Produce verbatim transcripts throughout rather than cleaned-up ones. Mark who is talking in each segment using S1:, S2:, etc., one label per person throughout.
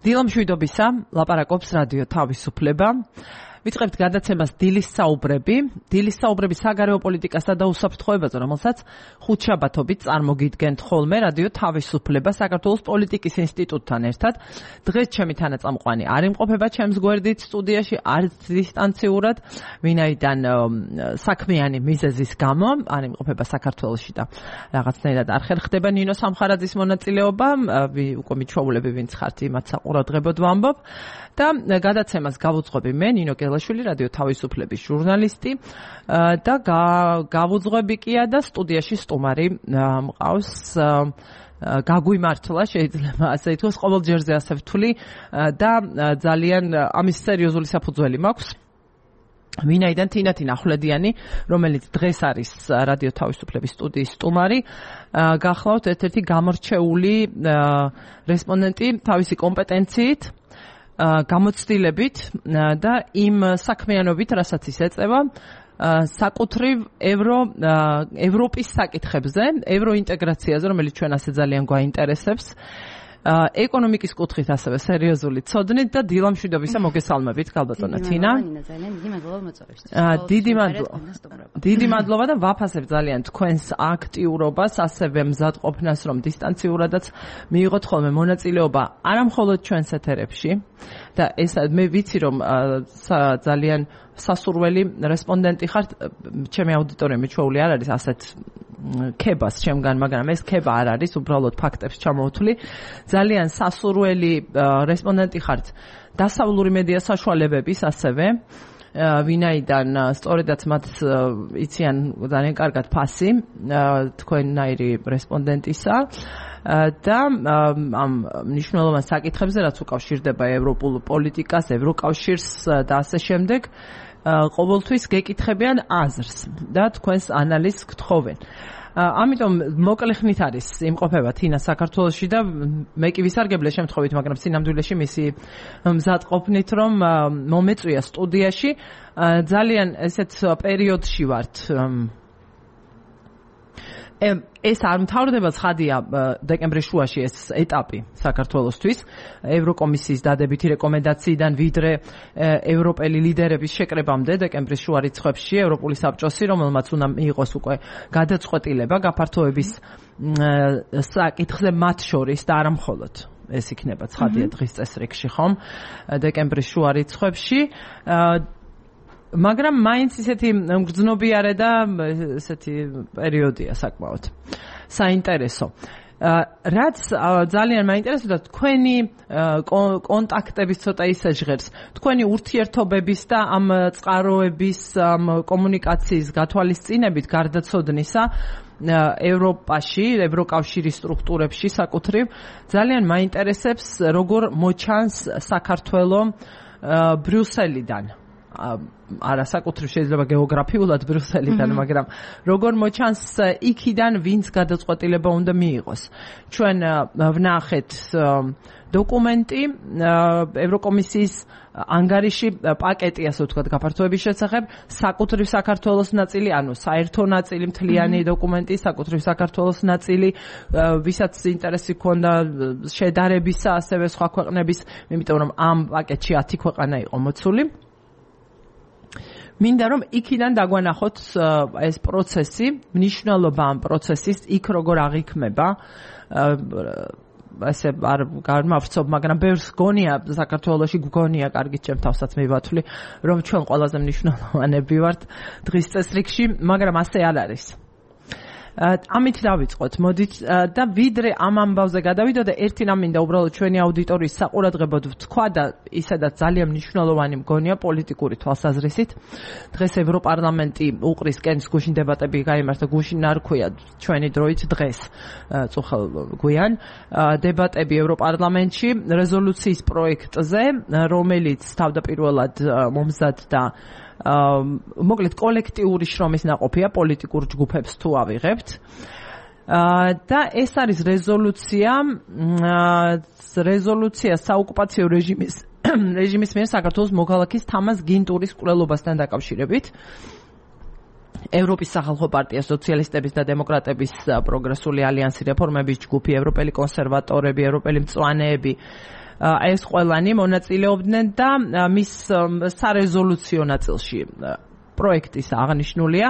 S1: დილამშვიდობისა, ლაპარაკობს რადიო თავისუფლება. ვიწყებთ გადაცემას დილის საუბრები. დილის საუბრები საგარეო პოლიტიკასა და უსაფრთხოებაზე, რომელსაც ხუთშაბათობით წარმოგიდგენთ ხოლმე რადიო თავისუფლება საქართველოს პოლიტიკის ინსტიტუტთან ერთად. დღეს ჩემი თანაწამყვანი არ იმყოფება ჩემს გვერდით სტუდიაში, არც დისტანციურად, ვინაიდან საქმიანი მიზეზის გამო არ იმყოფება საქართველოში და რაღაცნაირად არ ხერხდება ნინო სამხარაძის მონაწილეობა. უკვე მიჩვეულები ვინც ხართ იმათ საყურადღებოდ ვამბობ და გადაცემას გავუძღვები მე ნინო შვილი რადიო თავისუფლების ჟურნალისტი და გავუძღვები კია და სტუდიაში სტუმარი მყავს გაგვიმართლა შეიძლება ასე ითქვას ყოველ ჯერზე ასე ვთვლი და ძალიან ამის სერიოზული საფუძველი მაქვს ვინაიდან თინათინ ახვლედიანი რომელიც დღეს არის რადიო თავისუფლების სტუდიის სტუმარი გახლავთ ერთ-ერთი გამორჩეული რესპონდენტი თავისი კომპეტენციით გამოცდილებით და იმ საქმიანობით, რასაც ის ეწევა, საკუთრივ ევრო ევროპის საკითხებზე, ევროინტეგრაციაზე, რომელიც ჩვენ ასე ძალიან გვაინტერესებს, ეკონომიკის კუთხით ასევე სერიოზული ცოდნით და დილამშვიდობისა მოგესალმებით, ქალბატონო თინა. დიდი მადლობა. დიდი მადლობა და ვაფასებ ძალიან თქვენს აქტიურობას, ასევე მზადყოფნას, რომ დისტანციურადაც მიიღოთ ხოლმე მონაწილეობა არამხოლოდ ჩვენს ეთერებში და ეს მე ვიცი რომ ძალიან სასურველი რესპონდენტი ხართ, ჩემი აუდიტორია მიჩვეული არ არის ასეთ ქებას ჩემგან, მაგრამ ეს ქება არ არის, უბრალოდ ფაქტებს ჩამოვთვლი. ძალიან სასურველი რესპონდენტი ხართ დასავლური მედია საშუალებების ასევე ვინაიდან სწორედაც მათ იციან ძალიან კარგად ფასი თქვენნაირი რესპონდენტისა და ამ მნიშვნელოვან საკითხებზე რაც უკავშირდება ევროპულ პოლიტიკას, ევროკავშირს და ასე შემდეგ ყოველთვის გეკითხებიან აზრს და თქვენს ანალიზს გთხოვენ. ამიტომ მოკლე ხნით არის იმყოფება თინა საქართველოში და მე კი ვისარგებლე შემთხვევით, მაგრამ სინამდვილეში მისი მზადყოფნით რომ მომეწვია სტუდიაში ძალიან ესეთ პერიოდში ვართ ეს არ მთავრდება ცხადია დეკემბრის შუაში ეს ეტაპი საქართველოსთვის ევროკომისიის დადებითი რეკომენდაციიდან ვიდრე ევროპელი ლიდერების შეკრებამდე დეკემბრის შუა რიცხვებში ევროპული საბჭოსი რომელმაც უნდა მიიღოს უკვე გადაწყვეტილება გაფართოების საკითხზე მათ შორის და არა მხოლოდ ეს იქნება ცხადია დღის წესრიგში ხომ დეკემბრის შუა რიცხვებში მაგრამ მაინც ისეთი მგრძნობიარე და ესეთი პერიოდია საკმაოდ საინტერესო. რაც ძალიან მაინტერესებდა თქვენი კონტაქტების ცოტა ისე ჟღერს, თქვენი ურთიერთობების და ამ წყაროების, ამ კომუნიკაციის გათვალისწინებით გარდაცოდნისა ევროპაში, ევროკავშირის სტრუქტურებში საკუთრივ ძალიან მაინტერესებს როგორ მოჩანს საქართველო ბრიუსელიდან. არა საკუთრივ შეიძლება გეოგრაფიულად ბრიუსელიდან, მაგრამ როგორ მოჩანს იქიდან ვინც გადაწყვეტილება უნდა მიიღოს. ჩვენ ვნახეთ დოკუმენტი ევროკომისიის ანგარიში პაკეტი ასე ვთქვათ გაფართოების შესახებ, საკუთრივ საქართველოს ნაწილი, ანუ საერთო ნაწილი მთლიანი დოკუმენტი, საკუთრივ საქართველოს ნაწილი, ვისაც ინტერესი ჰქონდა შედარებისა, ასევე სხვა ქვეყნების, იმიტომ რომ ამ პაკეტში ათი ქვეყანა იყო მოცული. მინდა რომ იქიდან დაგვანახოთ ეს პროცესი, მნიშვნელობა ამ პროცესის, იქ როგორ აღიქმება ასე არ გამავრცობ, მაგრამ ბევრს გონია საქართველოში გგონია, კარგი ჩემ თავსაც მივათვლი, რომ ჩვენ ყველაზე მნიშვნელოვანები ვართ დღის წესრიგში, მაგრამ ასე არ არის. ამით დავიწყოთ, მოდით და ვიდრე ამ ამბავზე გადავიდო და ერთი რამ მინდა უბრალოდ ჩვენი აუდიტორიის საყურადღებოდ ვთქვა და ისედაც ძალიან მნიშვნელოვანი მგონია პოლიტიკური თვალსაზრისით. დღეს ევროპარლამენტი უყრის კენს გუშინ დებატები გაიმართა, გუშინ არ ქვია ჩვენი დროით დღეს წუხელ გვიან დებატები ევროპარლამენტში რეზოლუციის პროექტზე, რომელიც თავდაპირველად მომზადდა მოკლედ კოლექტიური შრომის ნაყოფია პოლიტიკურ ჯგუფებს თუ ავიღებთ და ეს არის რეზოლუცია რეზოლუცია საოკუპაციო რეჟიმის რეჟიმის მიერ საქართველოს მოქალაქის თამაზ გინტურის მკვლელობასთან დაკავშირებით ევროპის სახალხო პარტია, სოციალისტების და დემოკრატების პროგრესული ალიანსი, რეფორმების ჯგუფი, ევროპელი კონსერვატორები, ევროპელი მწვანეები ეს ყველანი მონაწილეობდნენ და მის სარეზოლუციო ნაწილში პროექტის აღნიშნულია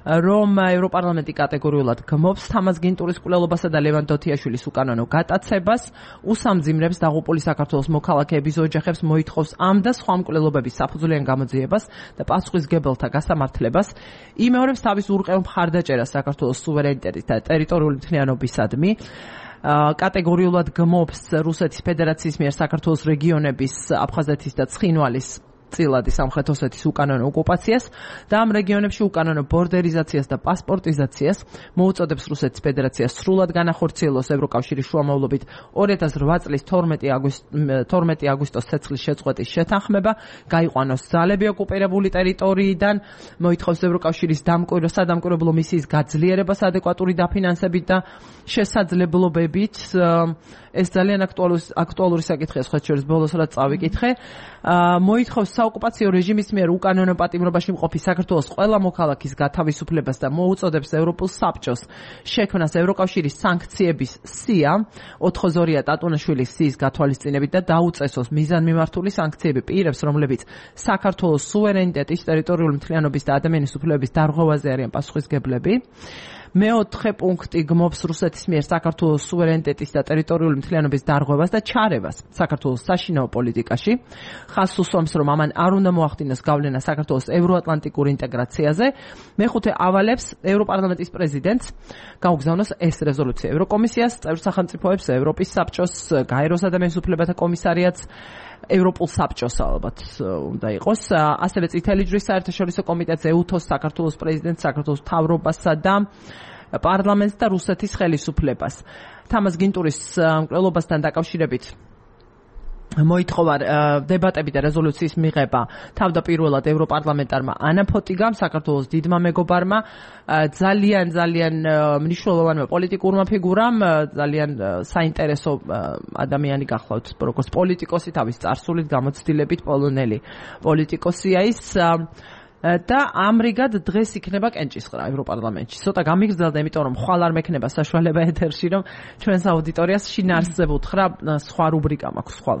S1: რომ ევროპარლამენტი კატეგორიულად გმობს თამაზ გინტურის კვლელობასა და ლევან დოთიაშვილის უკანონო გატაცებას, უსამძიმრებს დაღუპული საქართველოს მოქალაქეების ოჯახებს, მოითხოვს ამ და სხვა მკვლელობების საფუძვლიან გამოძიებას და პასუხისმგებელთა გასამართლებას, იმეორებს თავის ურყევ მხარდაჭერას საქართველოს სუვერენიტეტის და ტერიტორიული მთლიანობისადმი, კატეგორიულად გმობს რუსეთის ფედერაციის მიერ საქართველოს რეგიონების, აფხაზეთის და ცხინვალის წილადი სამხრეთ ოსეთის უკანონო ოკუპაციას და ამ რეგიონებში უკანონო ბორდერიზაციას და პასპორტიზაციას მოუწოდებს რუსეთის ფედერაციას სრულად განახორციელოს ევროკავშირის შუამავლობით ორი ათას რვა წლის თორმეტი აგვისტოს ცეცხლის შეწყვეტის შეთანხმება, გაიყვანოს ძალები ოკუპირებული ტერიტორიიდან, მოითხოვს ევროკავშირის დამკვირვო სადამკვირვებლო მისიის გაძლიერებას ადეკვატური დაფინანსებით და შესაძლებლობებით. ეს ძალიან აქტუალური საკითხია, სხვა შორის ბოლოს რაც წავიკითხე. მოითხოვს საოკუპაციო რეჟიმის მიერ უკანონო პატიმრობაში მყოფი საქართველოს ყველა მოქალაქის გათავისუფლებას და მოუწოდებს ევროპულ საბჭოს შექმნას ევროკავშირის სანქციების სია ოთხ-ორია ტატუნაშვილის სიის გათვალისწინებით და დაუწესოს მიზანმიმართული სანქციები პირებს, რომლებიც საქართველოს სუვერენიტეტის, ტერიტორიული მთლიანობის და ადამიანის უფლებების დარღვევაზე არიან პასუხისმგებლები. მეოთხე პუნქტი გმობს რუსეთის მიერ საქართველოს სუვერენიტეტის და ტერიტორიული მთლიანობის დარღვევას და ჩარევას საქართველოს საშინაო პოლიტიკაში. ხაზს უსვამს, რომ ამან არ უნდა მოახდინოს გავლენა საქართველოს ევროატლანტიკურ ინტეგრაციაზე. მეხუთე ავალებს ევროპარლამენტის პრეზიდენტს გაუგზავნოს ეს რეზოლუცია ევროკომისიას, წევრ სახელმწიფოებს, ევროპის საბჭოს, გაეროს ადამიანის უფლებათა კომისარიატს, ევროპულ საბჭოს ალბათ უნდა იყოს. ასევე წითელი ჯვრის საერთაშორისო კომიტეტს, ეუთოს, საქართველოს პრეზიდენტს, საქართველოს მთავრობასა და პარლამენტს და რუსეთის ხელისუფლებას. თამაზ გინტურის მკვლელობასთან დაკავშირებით მოითხოვა დებატები და რეზოლუციის მიღება თავდაპირველად ევროპარლამენტარმა ანა ფოტიგამ, საქართველოს დიდმა მეგობარმა, ძალიან ძალიან მნიშვნელოვანმა პოლიტიკურმა ფიგურამ, ძალიან საინტერესო ადამიანი გახლავთ, როგორც პოლიტიკოსი, თავის წარსულით, გამოცდილებით პოლონელი პოლიტიკოსია ის. და ამრიგად დღეს იქნება კენჭისყრა ევროპარლამენტში. ცოტა გამიგრძელდა, იმიტომ რომ ხვალ არ მექნება საშუალება ეთერში, რომ ჩვენს აუდიტორიას შინაარსზე ვუთხრა, სხვა რუბრიკა მაქვს ხვალ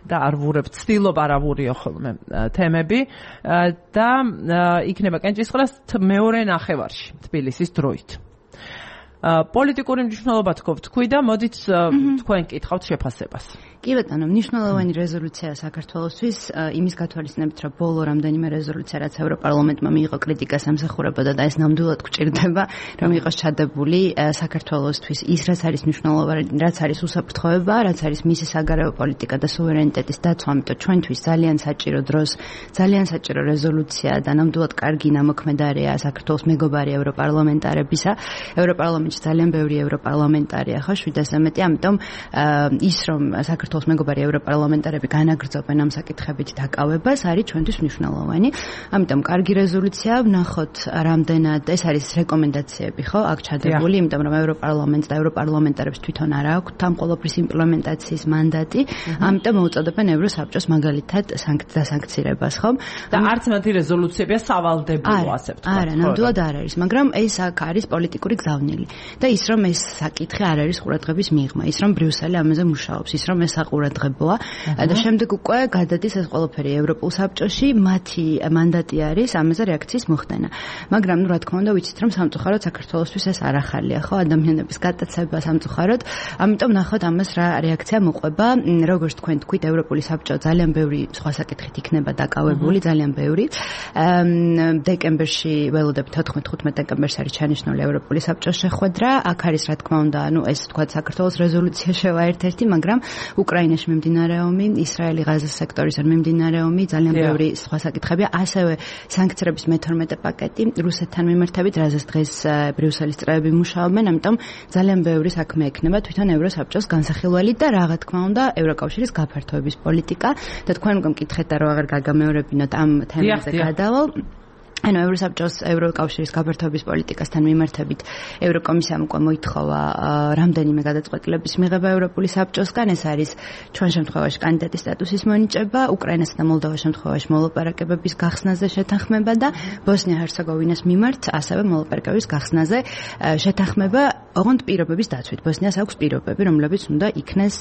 S1: და არ ვურებ, ვცდილობ არ ავურიო ხოლმე თემები და იქნება კენჭისყრა მეორე ნახევარში თბილისის დროით. პოლიტიკური მნიშვნელობა თქვი და მოდით თქვენ კითხავთ შეფასებას.
S2: კი ბატონო, მნიშვნელოვანი რეზოლუცია საქართველოსთვის, იმის გათვალისწინებით, რომ ბოლო რამდენიმე რეზოლუცია, რაც ევროპარლამენტმა მიიღო კრიტიკას ამსახურებოდა და ეს ნამდვილად გვჭირდება, რომ იყოს ჩადებული საქართველოსთვის ის, რაც არის მნიშვნელოვანი, რაც არის უსაფრთხოება, რაც არის მისი საგარეო პოლიტიკა და სუვერენიტეტის დაცვა, ამიტომ ჩვენთვის ძალიან საჭირო დროს, ძალიან საჭირო რეზოლუცია და ნამდვილად კარგი ნამოქმედარია საქართველოს მეგობარი ევროპარლამენტარებისა. ევროპარლამენტში ძალიან ბევრი ევროპარლამენტარია, ხო, შვიდასზე მეტი, ამიტომ ის რომ საქართველოს მეგობარი ევროპარლამენტარები განაგრძობენ ამ საკითხებით დაკავებას, არის ჩვენთვის მნიშვნელოვანი. ამიტომ კარგი რეზოლუცია, ვნახოთ რამდენად ეს არის რეკომენდაციები, ხო, აქ ჩადებული, იმიტომ რომ ევროპარლამენტს და ევროპარლამენტარებს თვითონ არ აქვთ ამ ყოველფრის იმპლემენტაციის მანდატი, ამიტომ მოუწოდებენ ევროსაბჭოს მაგალითად დასანქცირებას, ხო?
S1: და არც მათი რეზოლუციებია სავალდებულო, ასე ვთქვათ.
S2: არა, ნამდვილად არ არის, მაგრამ ეს აქ არის პოლიტიკური გზავნილი. და ის რომ ეს საკითხი არ არის ყურადღების მიღმა, ის რომ ბრიუსელი ამაზე მუშაობს, ის რომ ეს საყურადღებოა და შემდეგ უკვე გადადის ეს ყველაფერი ევროპულ საბჭოში, მათი მანდატი არის ამაზე რეაქციის მოხდენა. მაგრამ ნუ რა თქმა უნდა ვიცით რომ სამწუხაროდ საქართველოსთვის ეს არ ახალია, ხო, ადამიანების გატაცება სამწუხაროდ, ამიტომ ნახოთ ამას რა რეაქცია მოყვება. როგორც თქვენ თქვით, ევროპული საბჭო ძალიან ბევრი სხვა საკითხით იქნება დაკავებული, ძალიან ბევრი. დეკემბერში ველოდებით თოთხმეტ დეკემბერს არის ჩანიშნული ევროპული საბჭოს შეხვედრა. აქ არის რა თქმა უნდა, ანუ ეს თქვა საქართველოს რეზოლუცია შევა ერთ-ერთი, მაგრამ უკრაინაში მიმდინარე ომი, ისრაელი ღაზის სექტორიდან მიმდინარე ომი, ძალიან ბევრი სხვა საკითხებია, ასევე სანქციების მეთორმეტე პაკეტი რუსეთთან მიმართებით, რაზეც დღეს ბრიუსელის წევრები მუშაობენ, ამიტომ ძალიან ბევრი საქმე ექნება თვითონ ევროსაბჭოს განსახილველი და რა თქმა უნდა ევროკავშირის გაფართოების პოლიტიკა და თქვენ უკვე მკითხეთ და რა აღარ გაგამეორებინოთ ამ თემაზე გადავალ. ანუ ევროსაბჭოს ევროკავშირის გაფართოების პოლიტიკასთან მიმართებით ევროკომისიამ უკვე მოითხოვა რამდენიმე გადაწყვეტილების მიღება ევროპული საბჭოსგან. ეს არის ჩვენ შემთხვევაში კანდიდატის სტატუსის მონიჭება, უკრაინასა და მოლდოვას შემთხვევაში მოლაპარაკებების გახსნაზე შეთანხმება და ბოსნია-ჰერცეგოვინას მიმართ ასევე მოლაპარაკებების გახსნაზე შეთანხმება, ოღონდ პირობების დაცვით. ბოსნიას აქვს პირობები, რომლებიც უნდა იქნეს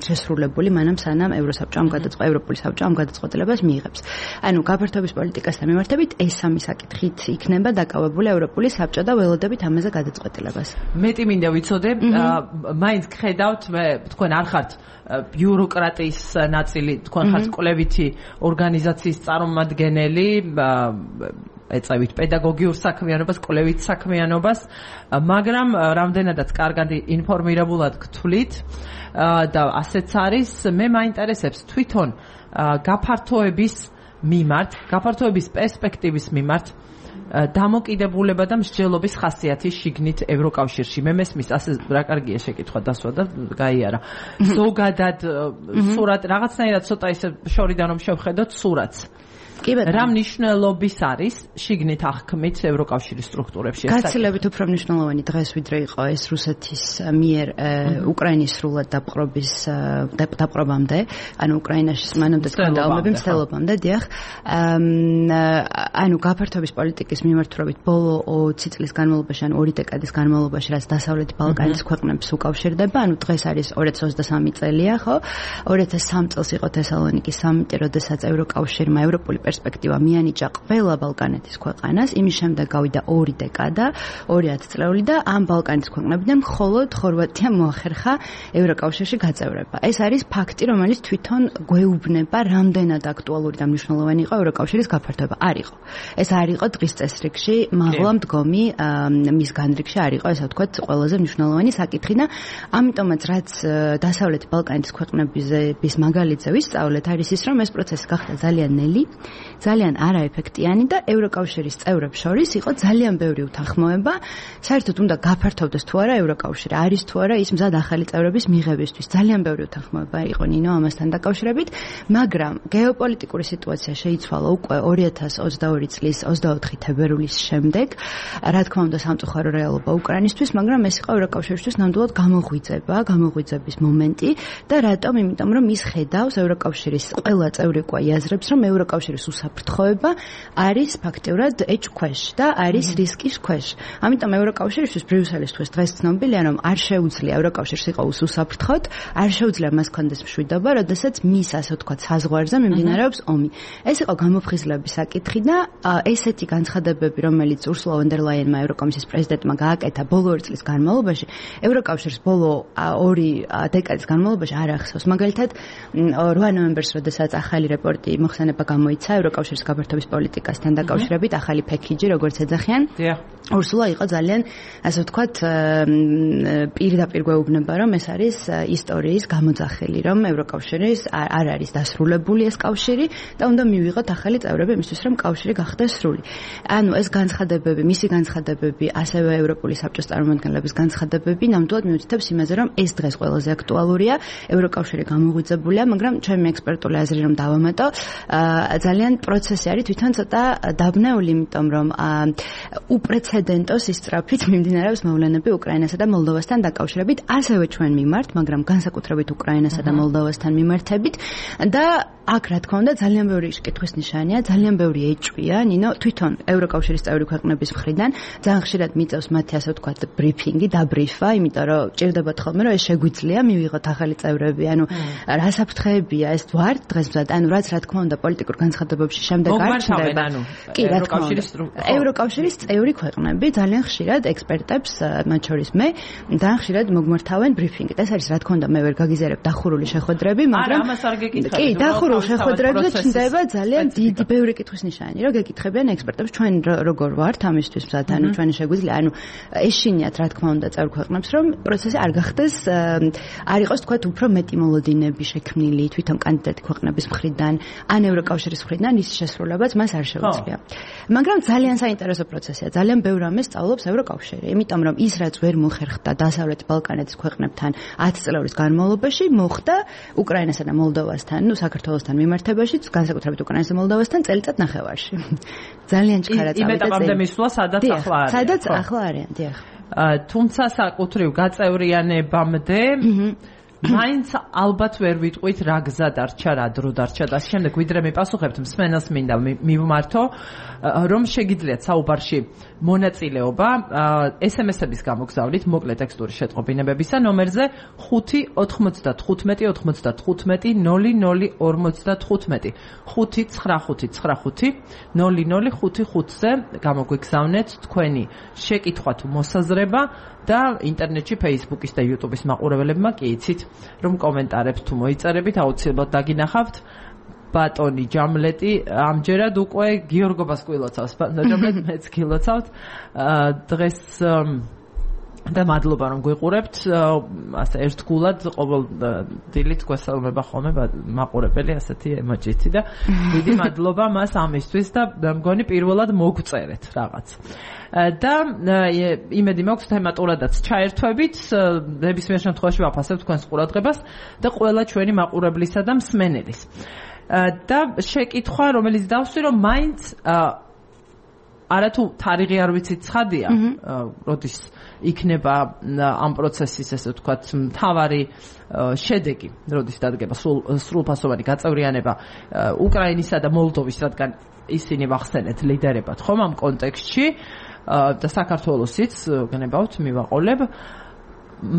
S2: შესრულებული მანამ სანამ ევროსაბჭო ამ გადაწყვეტილებას ევროპული საბჭო ამ გადაწყვეტილებას მიიღებს. ანუ გაფართოების პოლიტიკასთან მიმართებით ეს საკითხით იქნება დაკავებული ევროპული საბჭო და ველოდებით ამაზე გადაწყვეტილებას.
S1: მეტი მინდა ვიცოდე, მაინც ხედავთ, მე თქვენ არ ხართ ბიუროკრატიის ნაწილი, თქვენ ხართ კვლევითი ორგანიზაციის წარმომადგენელი, ეწევით პედაგოგიურ საქმიანობას, კვლევით საქმიანობას, მაგრამ რამდენადაც კარგად ინფორმირებულად გთვლით და ასეც არის, მე მაინტერესებს თვითონ გაფართოების მიმართ, გაფართოების პერსპექტივის მიმართ დამოკიდებულება და მსჯელობის ხასიათი შიგნით ევროკავშირში. მე მესმის ასე რა კარგია შეკითხვა დასვა და გაიარა. ზოგადად სურათ რაღაცნაირად ცოტა ისე შორიდან რომ შევხედოთ სურათს. რა მნიშვნელობის არის შიგნით აღქმით ევროკავშირის სტრუქტურებში?
S2: გაცილებით უფრო მნიშვნელოვანი დღეს ვიდრე იყო ეს რუსეთის მიერ უკრაინის სრულად დაპყრობის დაპყრობამდე, ანუ უკრაინაში მანამდე სკანდალები მცდელობამდე, დიახ. ანუ გაფართოების პოლიტიკის მიმართულებით ბოლო ოცი წლის განმავლობაში, ანუ ორი დეკადის განმავლობაში, რაც დასავლეთი ბალკანის ქვეყნებს უკავშირდება, ანუ დღეს არის ორი ათას ოცდასამი წელია, ხო? ორი ათას სამი წელს იყო თესალონიკის სამიტი, როდესაც ევროკავშირმა ევროპული პერსპექტივა მიანიჭა ყველა ბალკანეთის ქვეყანას, იმის შემდეგ გავიდა ორი დეკადა, ორი ათწლეული და ამ ბალკანის ქვეყნებიდან მხოლოდ ხორვატიამ მოახერხა ევროკავშირში გაწევრება. ეს არის ფაქტი, რომელიც თვითონ გვეუბნება, რამდენად აქტუალური და მნიშვნელოვანი იყო ევროკავშირის გაფართოება. არ იყო. ეს არ იყო დღის წესრიგში, მაღლა მდგომი მის განრიგში არ იყო, ესე ვთქვათ, ყველაზე მნიშვნელოვანი საკითხი და ამიტომაც რაც დასავლეთი ბალკანის ქვეყნების მაგალითზე ვისწავლეთ, არის ის, რომ ეს პროცესი გახდა ძალიან ნელი, ძალიან არაეფექტიანი და ევროკავშირის წევრებს შორის იყო ძალიან ბევრი უთანხმოება, საერთოდ უნდა გაფართოვდეს თუ არა ევროკავშირი, არის თუ არა ის მზად ახალი წევრების მიღებისთვის. ძალიან ბევრი უთანხმოება იყო ნინო ამასთან დაკავშირებით, მაგრამ გეოპოლიტიკური სიტუაცია შეიცვალა უკვე ორი ათას ოცდაორი წლის ოცდაოთხი თებერვლის შემდეგ, რა თქმა უნდა სამწუხარო რეალობა უკრაინისთვის, მაგრამ ეს იყო ევროკავშირისთვის ნამდვილად გამოღვიძება, გამოღვიძების მომენტი და რატომ? იმიტომ რომ ის ხედავს ევროკავშირის ყველა წევრი უკვე იაზრებს, რომ ევროკავშირის უსაფრთხოება არის ფაქტიურად ეჭქვეშ და არის რისკის ქვეშ. ამიტომ ევროკავშირისთვის ბრიუსელის თვის დღეს ცნობილია, რომ არ შეუძლია ევროკავშირს იყოს უსაფრთხოდ, არ შეუძლია მას კონდეს მშვიდობა, როდესაც მის ასე ვთქვათ საზღვარზე მიმდინარეობს ომი. ეს იყო გამოფხიზლების საკითხი და ესეთი განცხადებები, რომელიც ურსულა ვონ დერ ლაიენმა ევროკომისიის პრეზიდენტმა გააკეთა ბოლო ორი წლის განმავლობაში, ევროკავშირს ბოლო ორი დეკადის განმავლობაში არ ახსოვს. მაგალითად, რვა ნოემბერს, როდესაც ახალი რეპორტი მოხსენება გამოიცა ევროკავშირის გაფართოების პოლიტიკასთან დაკავშირებით, ახალი ფექიჯი, როგორც ეძახიან. ურსულა იყო ძალიან, ასე ვთქვათ, პირდაპირ გვეუბნება, რომ ეს არის ისტორიის გამოძახილი, რომ ევროკავშირის არ არის დასრულებული ეს კავშირი და უნდა მივიღოთ ახალი წევრები იმისთვის, რომ კავშირი გახდეს სრული. ანუ ეს განცხადებები, მისი განცხადებები, ასევე ევროპული საბჭოს წარმომადგენლების განცხადებები ნამდვილად მიუთითებს იმაზე, რომ ეს დღეს ყველაზე აქტუალურია, ევროკავშირი გამოღვიძებულია, მაგრამ ჩემი ექსპერტული აზრი რომ დავამატო, ძალიან პროცესი არის თვითონ ცოტა დაბნეული, იმიტომ რომ უპრეცედენტო სისწრაფით მიმდინარეობს მოვლენები უკრაინასა და მოლდოვასთან დაკავშირებით, ასევე ჩვენ მიმართ, მაგრამ განსაკუთრებით უკრაინასა და მოლდოვასთან მიმართებით და აქ რა თქმა უნდა ძალიან ბევრი შეკითხვის ნიშანია, ძალიან ბევრი ეჭვია, ნინო, თვითონ ევროკავშირის წევრი ქვეყნების მხრიდან ძალიან ხშირად მიწევს მათი ასე ვთქვათ ბრიფინგი, დაბრიფა, იმიტომ რომ ჭირდებათ ხოლმე რომ ეს შეგვიძლია მივიღოთ ახალი წევრები, ანუ რა საფრთხეებია ეს ვართ დღესმზად, ანუ რაც რა თქმა უნდა პოლიტიკურ განცხადებებში შემდეგ არ ჩნდება. კი, რა თქმა უნდა. ევროკავშირის წევრი ქვეყნები ძალიან ხშირად ექსპერტებს, მათ შორის მე, ძალიან ხშირად მოგმართავენ ბრიფინგით. ეს არის რა თქმა უნდა მე ვერ გაგიზიარებ დახურული შეხვედრები, მაგრამ
S1: არა, ამას არ გეკითხები.
S2: კი, დახურული შეხვედრებზე ჩნდება ძალიან დიდი ბევრი კითხვის ნიშანი, რომ გეკითხებიან ექსპერტებს, ჩვენ როგორ ვართ ამისთვის მზად, ანუ ჩვენი შეგვიძლია, ანუ ეშინიათ რა თქმა უნდა წევრ ქვეყნებს, რომ პროცესი არ გახდეს, არ იყოს თქვათ უფრო მეტი მოლოდინები შექმნილი თვითონ კანდიდატი ქვეყნების მხრიდან, ან ევროკავშირის მხრიდან, მოდიდნენ, ის შესრულებაც მას არ შეუძლია. მაგრამ ძალიან საინტერესო პროცესია. ძალიან ბევრ ამას სწავლობს ევროკავშირი, იმიტომ რომ ის რაც ვერ მოხერხდა დასავლეთ ბალკანეთის ქვეყნებთან ათი წლების განმავლობაში, მოხდა უკრაინასა და მოლდოვასთან, ну საქართველოსთან მიმართებაში, განსაკუთრებით უკრაინასა და მოლდოვასთან წელიწად ნახევარში. ძალიან ჩქარა წავიდა.
S1: იმ ეტაპამდე მისვლა, სადაც ახლა არის.
S2: სადაც ახლა არიან, დიახ.
S1: თუმცა საკუთრივ გაწევრიანებამდე მაინც ალბათ ვერ ვიტყვით რა გზა დარჩა, რა დრო დარჩა და შემდეგ ვიდრე მიპასუხებთ მსმენელს მინდა მივმართო რომ შეგიძლიათ საუბარში მონაწილეობა ეს ემ ეს-ების გამოგზავნით მოკლე ტექსტური შეტყობინებებისა ნომერზე ხუთი ოთხმოცდათხუთმეტი ოცდათხუთმეტი ნული ნული ორმოცდათხუთმეტი ხუთი ცხრა ხუთი ცხრა ხუთი ნული ნული ხუთი ხუთზე გამოგვიგზავნეთ თქვენი შეკითხვა თუ მოსაზრება და ინტერნეტში Facebook-ის და YouTube-ის მაყურებლებმა კი იცით რომ კომენტარებს თუ მოიწერებით აუცილებლად დაგინახავთ ბატონი ჯამლეტი ამჯერად უკვე გიორგობას გილოცავს ბატონი ჯამლეტი მეც გილოცავთ დღეს და მადლობა რომ გვიყურებთ ასე ერთგულად ყოველ დილით გვესალმება ხოლმე მაყურებელი ასეთი ემოჯითი და დიდი მადლობა მას ამისთვის და მგონი პირველად მოგწერეთ რაღაც და იმედი მაქვს თემატურადაც ჩაერთვებით ნებისმიერ შემთხვევაში ვაფასებ თქვენს ყურადღებას და ყველა ჩვენი მაყურებლისა და მსმენელის და შეკითხვა რომელიც დავსვი რომ მაინც არათუ თარიღი არ ვიცით ცხადია როდის იქნება ამ პროცესის ესე ვთქვათ მთავარი შედეგი როდის დადგება სრულფასოვანი გაწევრიანება უკრაინისა და მოლდოვის რადგან ისინი ვახსენეთ ლიდერებად ხომ ამ კონტექსტში და საქართველოსიც გნებავთ მივაყოლებ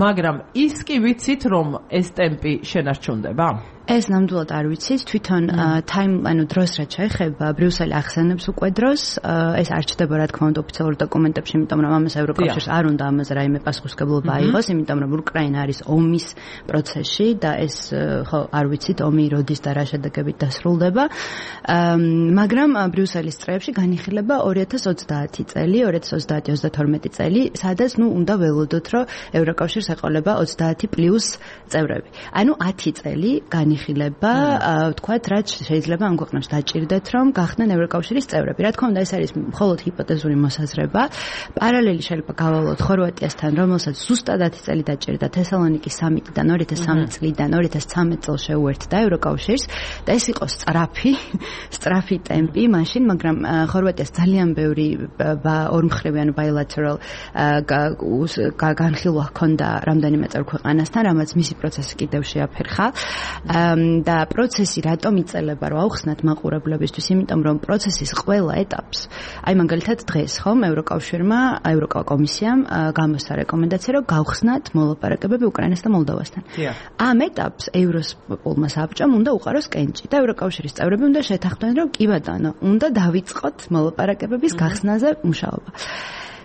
S1: მაგრამ ის კი ვიცით რომ ეს ტემპი შენარჩუნდება
S2: ეს ნამდვილად არ ვიცით თვითონ ტაიმლაინი დროს რაც შეეხება ბრიუსელი ახსენებს უკვე დროს ეს არ ჩდება რა თქმა უნდა ოფიციალურ დოკუმენტებში იმიტომ რომ ამას ევროკავშირს არ უნდა ამაზე რაიმე პასუხისმგებლობა აიღოს იმიტომ რომ უკრაინა არის ომის პროცესში და ეს ხო არ ვიცით ომი როდის და რა შედეგებით დასრულდება მაგრამ ბრიუსელის წრეებში განიხილება ორი ათას ოცდაათი წელი ორი ათას ოცდაათი ოცდათორმეტი წელი სადაც ნუ უნდა ველოდოთ რომ ევროკავშირს ეყოლება ოცდაათი პლუს წევრები ანუ ათი წელი განი ხილება ვთქვათ რაც შეიძლება ამ ქვეყნებს დაჭირდეთ რომ გახდნენ ევროკავშირის წევრები. რა თქმა უნდა ეს არის მხოლოდ ჰიპოთეზური მოსაზრება. პარალელი შეიძლება გავალოთ ხორვატიასთან, რომელსაც ზუსტად ათი წელი დაჭირდა თესალონიკის სამიტიდან ორი ათას სამი წლიდან ორი ათას ცხრამეტ წელს შეუერთდა ევროკავშირს და ეს იყო სწრაფი, სწრაფი ტემპი მაშინ, მაგრამ ხორვატიას ძალიან ბევრი ორმხრივი ანუ bilateral განხილვა ჰქონდა რამდენიმე წევრ ქვეყანასთან, რამაც მისი პროცესი კიდევ შეაფერხა. და პროცესი რატომ იწელება რომ აუხსნათ მაყურებლებისთვის იმიტომ რომ პროცესის ყველა ეტაპს აი მაგალითად დღეს ხომ ევროკავშირმა ევროკომისიამ გამოსცა რეკომენდაცია რომ გავხსნათ მოლაპარაკებები უკრაინასთან და მოლდოვასთან ამ ეტაპს ევროსპოლმა საბჭომ უნდა უყაროს კენჭი და ევროკავშირის წევრები უნდა შეთანხმდნენ რომ კი ბატონო უნდა დავიწყოთ მოლაპარაკებების გახსნაზე მუშაობა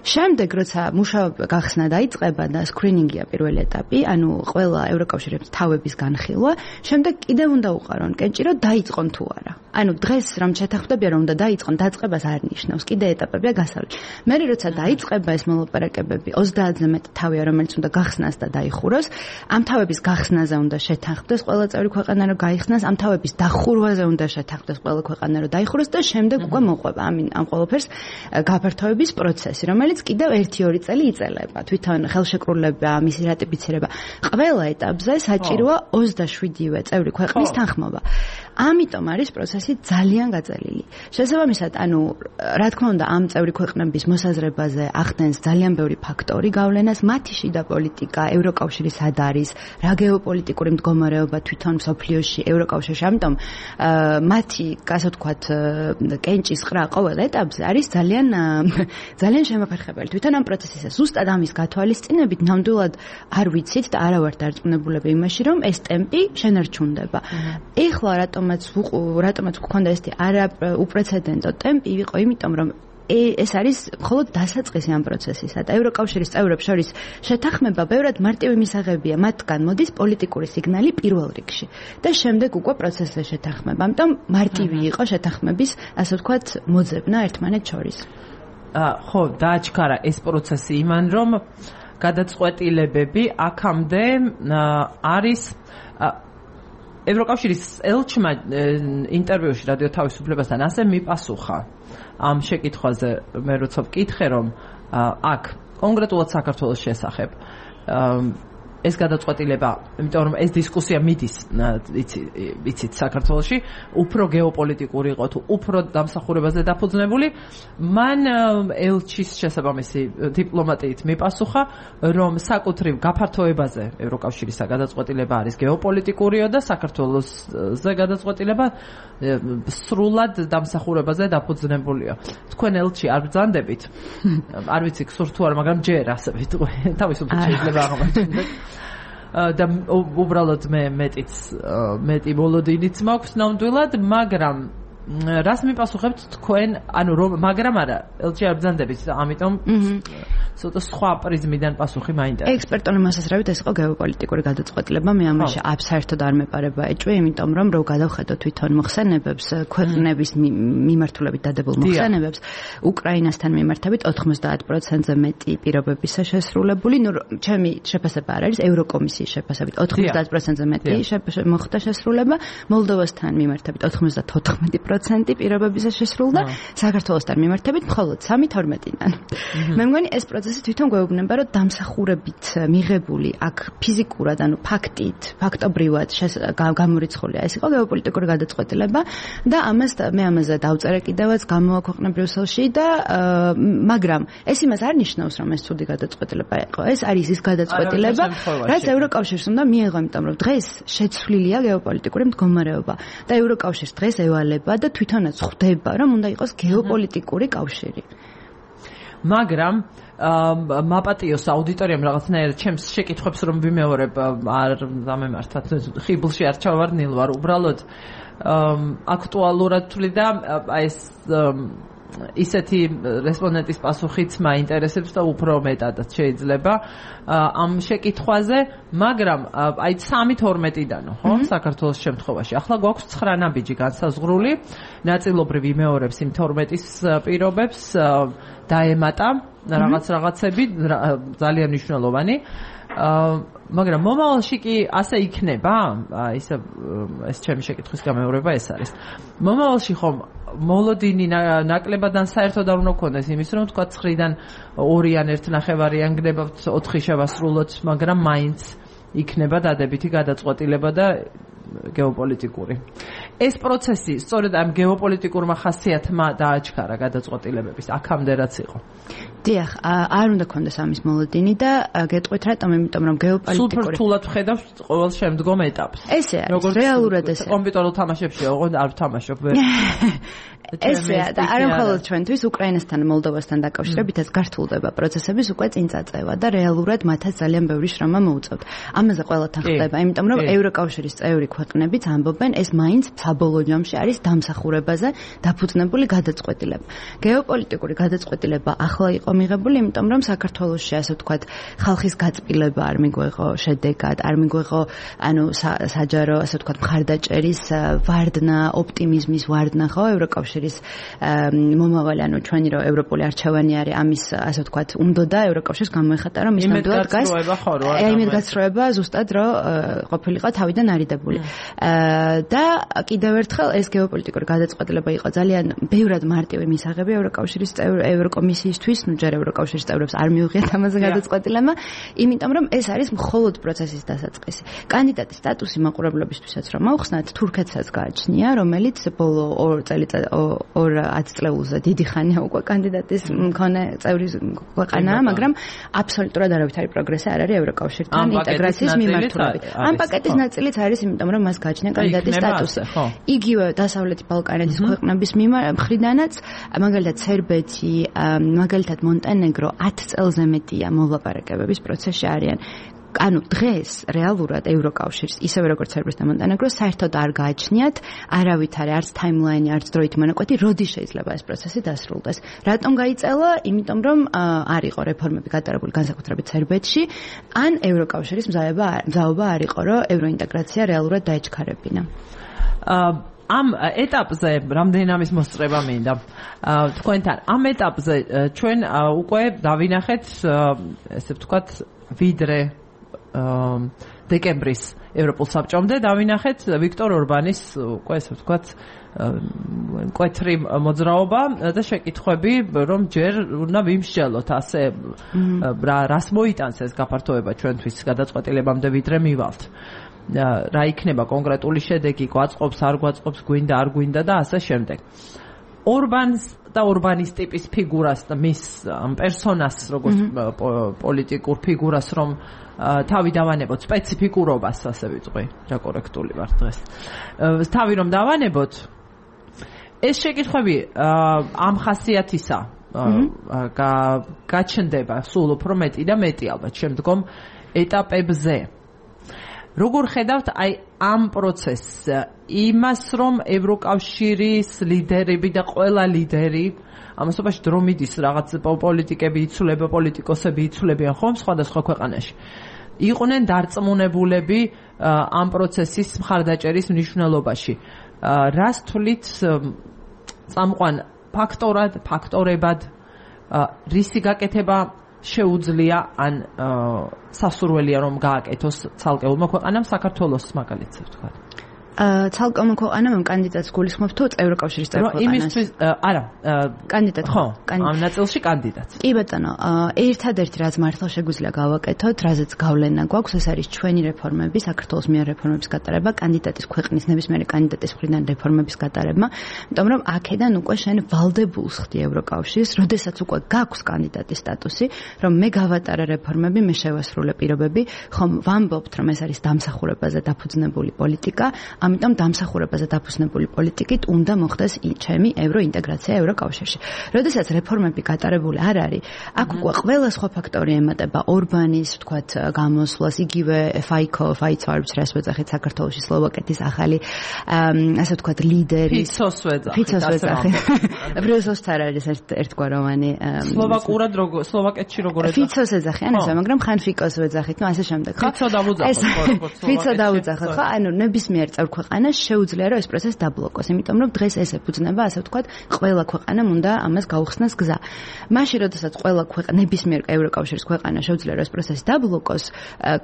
S2: შემდეგ როცა მუშაობა გახსნა დაიწყება და სკრინინგია პირველი ეტაპი, ანუ ყველა ევროკავშირის თავების განხილვა, შემდეგ კიდევ უნდა უყარონ კენჭი, რომ დაიწყონ თუ არა. ანუ დღეს რომ შეთანხმდებიან რომ უნდა დაიწყონ, დაწყებას არ ნიშნავს, კიდე ეტაპებია გასავლით. მე როცა დაიწყება ეს მოლაპარაკებები, ოცდაათზე მეტი თავია, რომელიც უნდა გახსნას და დაიხუროს, ამ თავების გახსნაზე უნდა შეთანხმდეს ყველა წევრი ქვეყანა, რომ გაიხსნას, ამ თავების დახურვაზე უნდა შეთანხმდეს ყველა ქვეყანა, რომ დაიხუროს და შემდეგ უკვე მოყვება ამ ამ ყველაფერს გაფართოების პროცესი, რომელიც კიდევ ერთი ორი წელი იწელება. თვითონ ხელშეკრულება, მისი რატიფიცირება, ყველა ეტაპზე საჭიროა ოცდაშვიდივე წევრი ქვეყნის თანხმობა. ამიტომ არის პროცესი ძალიან გაწელილი. შესაბამისად, ანუ რა თქმა უნდა, ამ წევრი ქვეყნების მოსაზრებაზე ახდენს ძალიან ბევრი ფაქტორი გავლენას, მათი შიდა პოლიტიკა, ევროკავშირის სად არის, რა გეოპოლიტიკური მდგომარეობა თვითონ მსოფლიოში, ევროკავშირში, ამიტომ მათი, ასე ვთქვათ, კენჭის ყრა ყოველ ეტაპზე არის ძალიან ძალიან შემოფერხებელი. თვითონ ამ პროცესის ზუსტად ამის გათვალისწინებით ნამდვილად არ ვიცით და არა ვართ დარწმუნებულები იმაში, რომ ეს ტემპი შენარჩუნდება. ეხლა რატომ რატომაც გქონდა ეს არა უპრეცედენტო ტემპი იყო იმიტომ რომ ეს არის მხოლოდ დასაწყისი ამ პროცესისა და ევროკავშირის წევრებს შორის შეთანხმება ბევრად მარტივი მისაღებია მათგან მოდის პოლიტიკური სიგნალი პირველ რიგში და შემდეგ უკვე პროცესზე შეთანხმება ამიტომ მარტივი იყო შეთანხმების ასე ვთქვათ მოძებნა ერთმანეთს შორის
S1: ხო დააჩქარა ეს პროცესი იმან რომ გადაწყვეტილებები აქამდე არის ევროკავშირის ელჩმა ინტერვიუში რადიო თავისუფლებასთან ასე მიპასუხა ამ შეკითხვაზე, მე როცა ვკითხე, რომ აქ კონკრეტულად საქართველოს შესახებ ეს გადაწყვეტილება, იმიტომ რომ ეს დისკუსია მიდის, იცი, იცით, საქართველოში, უფრო გეოპოლიტიკური იყო თუ უფრო დამსახურებაზე დაფუძნებული, მან ელჩის შესაბამისი დიპლომატიით მიპასუხა, რომ საკუთრივ გაფართოებაზე ევროკავშირისა გადაწყვეტილება არის გეოპოლიტიკურიო და საქართველოსზე გადაწყვეტილება სრულად დამსახურებაზე დაფუძნებულია. თქვენ ელჩი არ ბრძანდებით? არ ვიცი, გსურთ თუ არა, მაგრამ ჯერ ასე ვიტყვი, თავისუფლად შეიძლება აღმოჩნდეთ. და უბრალოდ მე მეტიც მეტი ბოლოდინიც მაქვს ნამდვილად, მაგრამ რას მიპასუხებთ თქვენ, ანუ რომ მაგრამ არა, ელჩი არ ბრძანდებით, ამიტომ ცოტა სხვა პრიზმიდან პასუხი მაინტერესებს.
S2: ექსპერტული მოსაზრებით ეს იყო გეოპოლიტიკური გადაწყვეტილება, მე ამაში აბსოლუტურად არ მეპარება ეჭვი, იმიტომ რომ რო გადავხედო თვითონ მოხსენებებს, ქვეყნების მიმართულებით დადებულ მოხსენებებს, უკრაინასთან მიმართებით ოთხმოცდაათ პროცენტზე მეტი პირობებისა შესრულებული, ნუ ჩემი შეფასება არ არის, ევროკომისიის შეფასებით ოთხმოცდაათ პროცენტზე მეტი მოხდა შესრულება, მოლდოვასთან მიმართებით ოთხმოცდათოთხმეტი პროცენტი პირობებისა შესრულდა, საქართველოსთან მიმართებით მხოლოდ სამი თორმეტიდან. მე მგონი ეს პროცესი თვითონ გვეუბნება, რომ დამსახურებით მიღებული აქ ფიზიკურად, ანუ ფაქტით, ფაქტობრივად გამორიცხულია ეს იყო გეოპოლიტიკური გადაწყვეტილება და ამას მე ამაზე დავწერე კიდევაც გამოვაქვეყნე ბრიუსელში და მაგრამ ეს იმას არ ნიშნავს, რომ ეს ცუდი გადაწყვეტილება იყო. ეს არის ის გადაწყვეტილება, რაც ევროკავშირს უნდა მიეღო, იმიტომ რომ დღეს შეცვლილია გეოპოლიტიკური მდგომარეობა და ევროკავშირს დღეს ევალება და თვითონაც ხვდება, რომ უნდა იყოს გეოპოლიტიკური კავშირი.
S1: მაგრამ მაპატიოს აუდიტორიამ რაღაცნაირად ჩემს შეკითხვებს რომ ვიმეორებ არ დამემართათ, ხიბლში არ ჩავარდნილ ვარ, უბრალოდ აქტუალურად თვლი და ეს ისეთი რესპონდენტის პასუხიც მაინტერესებს და უფრო მეტადაც შეიძლება ამ შეკითხვაზე, მაგრამ აი სამი თორმეტიდანო, ხო, საქართველოს შემთხვევაში. ახლა გვაქვს ცხრა ნაბიჯი განსაზღვრული, ნაწილობრივ იმეორებს იმ თორმეტის პირობებს, დაემატა რაღაც რაღაცები ძალიან მნიშვნელოვანი. მაგრამ მომავალში კი ასე იქნება, ისე ეს ჩემი შეკითხვის გამეორება ეს არის. მომავალში ხომ მოლოდინი ნაკლებადან საერთოდ არ უნდა გქონდეს იმის, რომ თქვა ცხრიდან ორი ან ერთ ნახევარი ან გნებავთ ოთხი შევასრულოთ, მაგრამ მაინც იქნება დადებითი გადაწყვეტილება და გეოპოლიტიკური. ეს პროცესი სწორედ ამ გეოპოლიტიკურმა ხასიათმა დააჩქარა გადაწყვეტილებების აქამდე რაც იყო.
S2: დიახ, არ უნდა გქონდეს ამის მოლოდინი და გეტყვით რატომ, იმიტომ რომ გეოპოლიტიკური
S1: სულ რთულად ვხედავთ ყოველ შემდგომ ეტაპს.
S2: ესე არის, რეალურად ესე.
S1: კომპიუტერულ თამაშებში ოღონდ არ ვთამაშობ ვერ.
S2: ესეა და არა მხოლოდ ჩვენთვის, უკრაინასთან, მოლდოვასთან დაკავშირებითაც გართულდება პროცესების უკვე წინ წაწევა და რეალურად მათაც ძალიან ბევრი შრომა მოუწევთ. ამაზე ყველათან ხდება, იმიტომ რომ ევროკავშირის წევრი ქვეყნებიც ამბობენ, ეს მაინც საბოლოო ჯამში არის დამსახურებაზე დაფუძნებული გადაწყვეტილება. გეოპოლიტიკური გადაწყვეტილება ახლა იყო მიღებული, იმიტომ რომ საქართველოში, ასე ვთქვათ, ხალხის გაწმილება არ მიგვეღო შედეგად, არ მიგვეღო, ანუ საჯარო, ასე ვთქვათ, მხარდაჭერის ვარდნა, ოპტიმიზმის ვარდნა, ხო, ევროკავშირის მომავალი, ანუ ჩვენი რო ევროპული არჩევანი არის, ამის, ასე ვთქვათ, უნდოდა ევროკავშირს გამოეხატა, რომ ის ნამდვილად დგას. აი, იმედგაცრუება ზუსტად რო ყოფილიყო თავიდან არიდებული. და კიდევ ერთხელ ეს გეოპოლიტიკური გადაწყვეტილება იყო ძალიან ბევრად მარტივი მისაღები ევროკავშირის ევროკომისიისთვის, ნუ ჯერ ევროკავშირის წევრებს არ მიუღიათ ამაზე გადაწყვეტილება, იმიტომ რომ ეს არის მხოლოდ პროცესის დასაწყისი. კანდიდატის სტატუსი მაყურებლობისთვისაც რომ ავხსნათ, თურქეთსაც გააჩნია, რომელიც ბოლო ორ წელიწად ორ ათწლეულზე დიდი ხანია უკვე კანდიდატის მქონე წევრი ქვეყანაა, მაგრამ აბსოლუტურად არავითარი პროგრესი არ არის ევროკავშირთან ინტეგრაციის მიმართულებით. ამ პაკეტის ნაწილიც არის, იმიტომ რომ მას გააჩნია კანდიდატის სტატუსი. იგივე დასავლეთი ბალკანეთის ქვეყნების მხრიდანაც, მაგალითად სერბეთი, მაგალითად მონტენეგრო ათ წელზე მეტია მოლაპარაკებების პროცესში არიან. ანუ დღეს რეალურად ევროკავშირს, ისევე როგორც სერბეთს და მონტენეგროს, საერთოდ არ გააჩნიათ არავითარი არც ტაიმლაინი, არც დროით მონაკვეთი, როდის შეიძლება ეს პროცესი დასრულდეს. რატომ გაიწელა? იმიტომ რომ არ იყო რეფორმები გატარებული განსაკუთრებით სერბეთში, ან ევროკავშირის მზაობა არ იყო, რომ ევროინტეგრაცია რეალურად დაეჩქარებინა.
S1: ამ ეტაპზე რამდენი ამის მოსწრება მინდა თქვენთან. ამ ეტაპზე ჩვენ უკვე დავინახეთ, ესე ვთქვათ, ვიდრე დეკემბრის ევროპულ საბჭომდე დავინახეთ ვიქტორ ორბანის უკვე ესე ვთქვათ მკვეთრი მოძრაობა და შეკითხვები რომ ჯერ უნდა ვიმსჯელოთ ასე რას მოიტანს ეს გაფართოება ჩვენთვის გადაწყვეტილებამდე ვიდრე მივალთ რა იქნება კონკრეტული შედეგი გვაწყობს არ გვაწყობს გვინდა არ გვინდა და ასე შემდეგ ორბანს და ორბანის ტიპის ფიგურას და მის ამ პერსონას როგორც პოლიტიკურ ფიგურას რომ თავი დავანებოთ სპეციფიკურობას ასე ვიწყვი რა კორექტული ვარ დღეს თავი რომ დავანებოთ ეს შეკითხვები ამ ხასიათისა გაჩნდება სულ უფრო მეტი და მეტი ალბათ შემდგომ ეტაპებზე როგორ ხედავთ აი ამ პროცესს იმას რომ ევროკავშირის ლიდერები და ყველა ლიდერი ამასობაში დრო მიდის რაღაც პოლიტიკები იცვლება პოლიტიკოსები იცვლებიან ხომ სხვადასხვა ქვეყანაში იყვნენ დარწმუნებულები ამ პროცესის მხარდაჭერის მნიშვნელობაში რას თვლით წამყვან ფაქტორად ფაქტორებად რისი გაკეთება შეუძლია ან სასურველია რომ გააკეთოს ცალკეულმა ქვეყანამ საქართველოს მაგალითად ვთქვათ
S2: ცალკეულმა ქვეყანამ ამ კანდიდატს გულისხმობ თუ ევროკავშირის წევრ ქვეყანას
S1: იმისთვის არა
S2: კანდიდატ
S1: ხო ამ ნაწილში კანდიდატს
S2: კი ბატონო ერთადერთი რაც მართლა შეგვიძლია გავაკეთოთ რაზეც გავლენა გვაქვს ეს არის ჩვენი რეფორმები საქართველოს მიერ რეფორმების გატარება კანდიდატის ქვეყნის ნებისმიერი კანდიდატის მხრიდან რეფორმების გატარება იმიტომ რომ აქედან უკვე შენ ვალდებულს ხდი ევროკავშირს როდესაც უკვე გაქვს კანდიდატის სტატუსი რომ მე გავატარე რეფორმები მე შევასრულე პირობები ხომ ვამბობთ რომ ეს არის დამსახურებაზე დაფუძნებული პოლიტიკა ამიტომ დამსახურებაზე დაფუძნებული პოლიტიკით უნდა მოხდეს ჩემი ევროინტეგრაცია ევროკავშირში. როდესაც რეფორმები გატარებული არ არის, აქ უკვე ყველა სხვა ფაქტორი ემატება ორბანის, ვთქვათ, გამოსვლას, იგივე ფაიკო, ფაიცვარებს რას ვეძახით საქართველოში სლოვაკეთის ახალი, ასე ვთქვათ, ლიდერი.
S1: ფიცოს ვეძახით.
S2: ფიცოს ვეძახით. ბრიუსელს არ არის ერთგვაროვანი.
S1: სლოვაკურად როგორ, სლოვაკეთში როგორ ეძახით?
S2: ფიცოს ეძახიან, ასე, მაგრამ ხან ფიკოს ვეძახით, ну ასე შემდეგ, ხო?
S1: ფიცო დავუძახოთ,
S2: როგორც ფიცო დავუძახოთ, ხო? ანუ ნებისმიერ წევრ ქვეყანას შეუძლია რომ ეს პროცესი დაბლოკოს, იმიტომ რომ დღეს ეს ეფუძნება, ასე ვთქვათ, ყველა ქვეყანამ უნდა ამას გაუხსნას გზა. მაშინ, როდესაც ყველა ქვეყანა ნებისმიერ ევროკავშირის ქვეყანა შეუძლია რომ ეს პროცესი დაბლოკოს,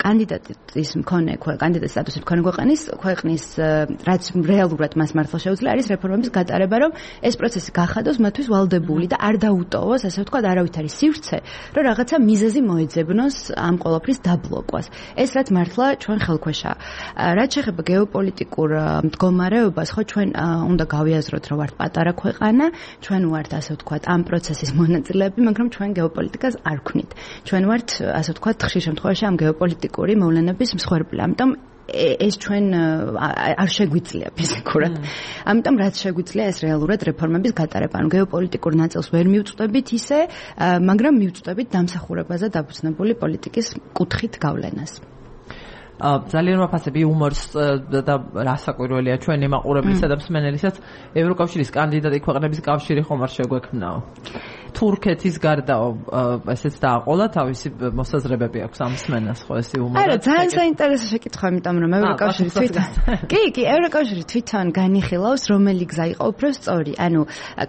S2: კანდიდატის მქონე კანდიდატის სტატუსის მქონე ქვეყნის ქვეყნის რაც რეალურად მას მართლა შეუძლია არის რეფორმების გატარება, რომ ეს პროცესი გახადოს მათთვის ვალდებული და არ დაუტოვოს, ასე ვთქვათ, არავითარი სივრცე, რომ რაღაცა მიზეზი მოეძებნოს ამ ყოველფრის დაბლოკვას. ეს რაც მართლა ჩვენ ხელქვეშაა. რაც შეეხება გეოპოლიტიკურ მდგომარეობას, ხო ჩვენ უნდა გავიაზროთ, რომ ვართ პატარა ქვეყანა, ჩვენ ვართ, ასე ვთქვათ, ამ პროცესის მონაწილეები, მაგრამ ჩვენ გეოპოლიტიკას არ ვქნით. ჩვენ ვართ, ასე ვთქვათ, ხშირ შემთხვევაში ამ გეოპოლიტიკური მოვლენების მსხვერპლი. ამიტომ ეს ჩვენ არ შეგვიძლია ფიზიკურად. ამიტომ რაც შეგვიძლია ეს რეალურად რეფორმების გატარება. ანუ გეოპოლიტიკურ ნაწილს ვერ მივწვდებით ისე, მაგრამ მივწვდებით დამსახურებაზე დაფუძნებული პოლიტიკის კუთხით გავლენას.
S1: ძალიან ვაფასები იუმორს და რასაკვირველია ჩვენი მაყურებლისა და მსმენელისაც ევროკავშირის კანდიდატი ქვეყნების კავშირი ხომ არ შეგვექმნაო. თურქეთის გარდაო ესეც დააყოლა თავისი მოსაზრებები აქვს ამ მსმენელს ხო ეს იუმორი.
S2: არა, ძალიან საინტერესო შეკითხვა, იმიტომ რომ ევროკავშირი თვითონ კი, კი, ევროკავშირი თვითონ განიხილავს, რომელი გზა იყო უფრო სწორი. ანუ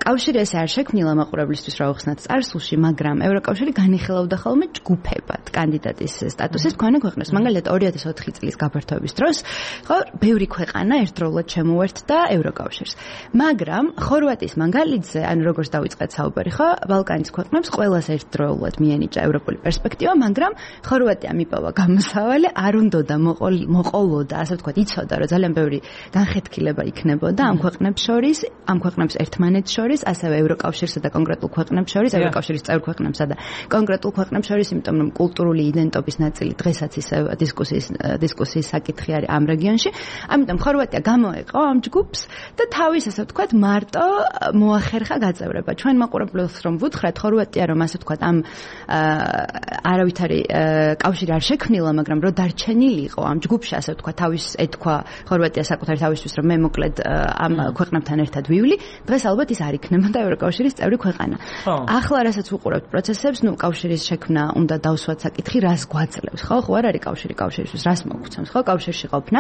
S2: კავშირი ესე არ შექმნილა მაყურებლისთვის რა უხსნათ წარსულში, მაგრამ ევროკავშირი განიხილავდა ხოლმე ჯგუფებად კანდიდატის სტატუსის მქონე ქვეყნებს. მაგალითად ორი ათას ოთხი წლის გაფართოების დროს, ხო, ბევრი ქვეყანა ერთდროულად შემოერთდა ევროკავშირს. მაგრამ ხორვატიის მაგალითზე, ანუ როგორც დავიწყეთ საუბარი, ხო, ბალკანის ქვეყნებს ყველას ერთდროულად მიენიჭა ევროპული პერსპექტივა, მაგრამ ხორვატია მიპოვა გამოსავალი, არ უნდოდა მოყოლოდა, ასე ვთქვათ, იცოდა, რომ ძალიან ბევრი განხეთქილება იქნებოდა ამ ქვეყნებს შორის, ამ ქვეყნებს ერთმანეთს შორის, ასევე ევროკავშირსა და კონკრეტულ ქვეყნებს შორის, ევროკავშირის წევრ ქვეყნებსა და კონკრეტულ ქვეყნებს შორის, იმიტომ რომ კულტურული იდენტობის ნაწილი დღესაც ისევ დისკუსიის დისკუსიის საკითხი არის ამ რეგიონში. ამიტომ ხორვატია გამოეყო ამ ჯგუფს და თავის, ასე ვთქვათ, მარტო მოახერხა გაწევრება. ჩვენ მაყურებელს რომ ვუთხრათ, ხორვატია რომ ასე ვთქვათ, ამ არავითარი კავშირი არ შექმნილა, მაგრამ რომ დარჩენილი იყო ამ ჯგუფში, ასე ვთქვათ, თავის ეთქვა ხორვატია საკუთარი თავისთვის, რომ მე მოკლედ ამ ქვეყნებთან ერთად ვივლი, დღეს ალბათ ის არ იქნებოდა ევროკავშირის წევრი ქვეყანა. ახლა რასაც ვუყურებთ პროცესებს, ნუ კავშირის შექმნა უნდა დავსვათ საკითხი, რას გვაძლევს, ხო? ხო არ არის კავშირი კავშირისთვის, რას მოგცემს, ხო? კავშირში ყოფნა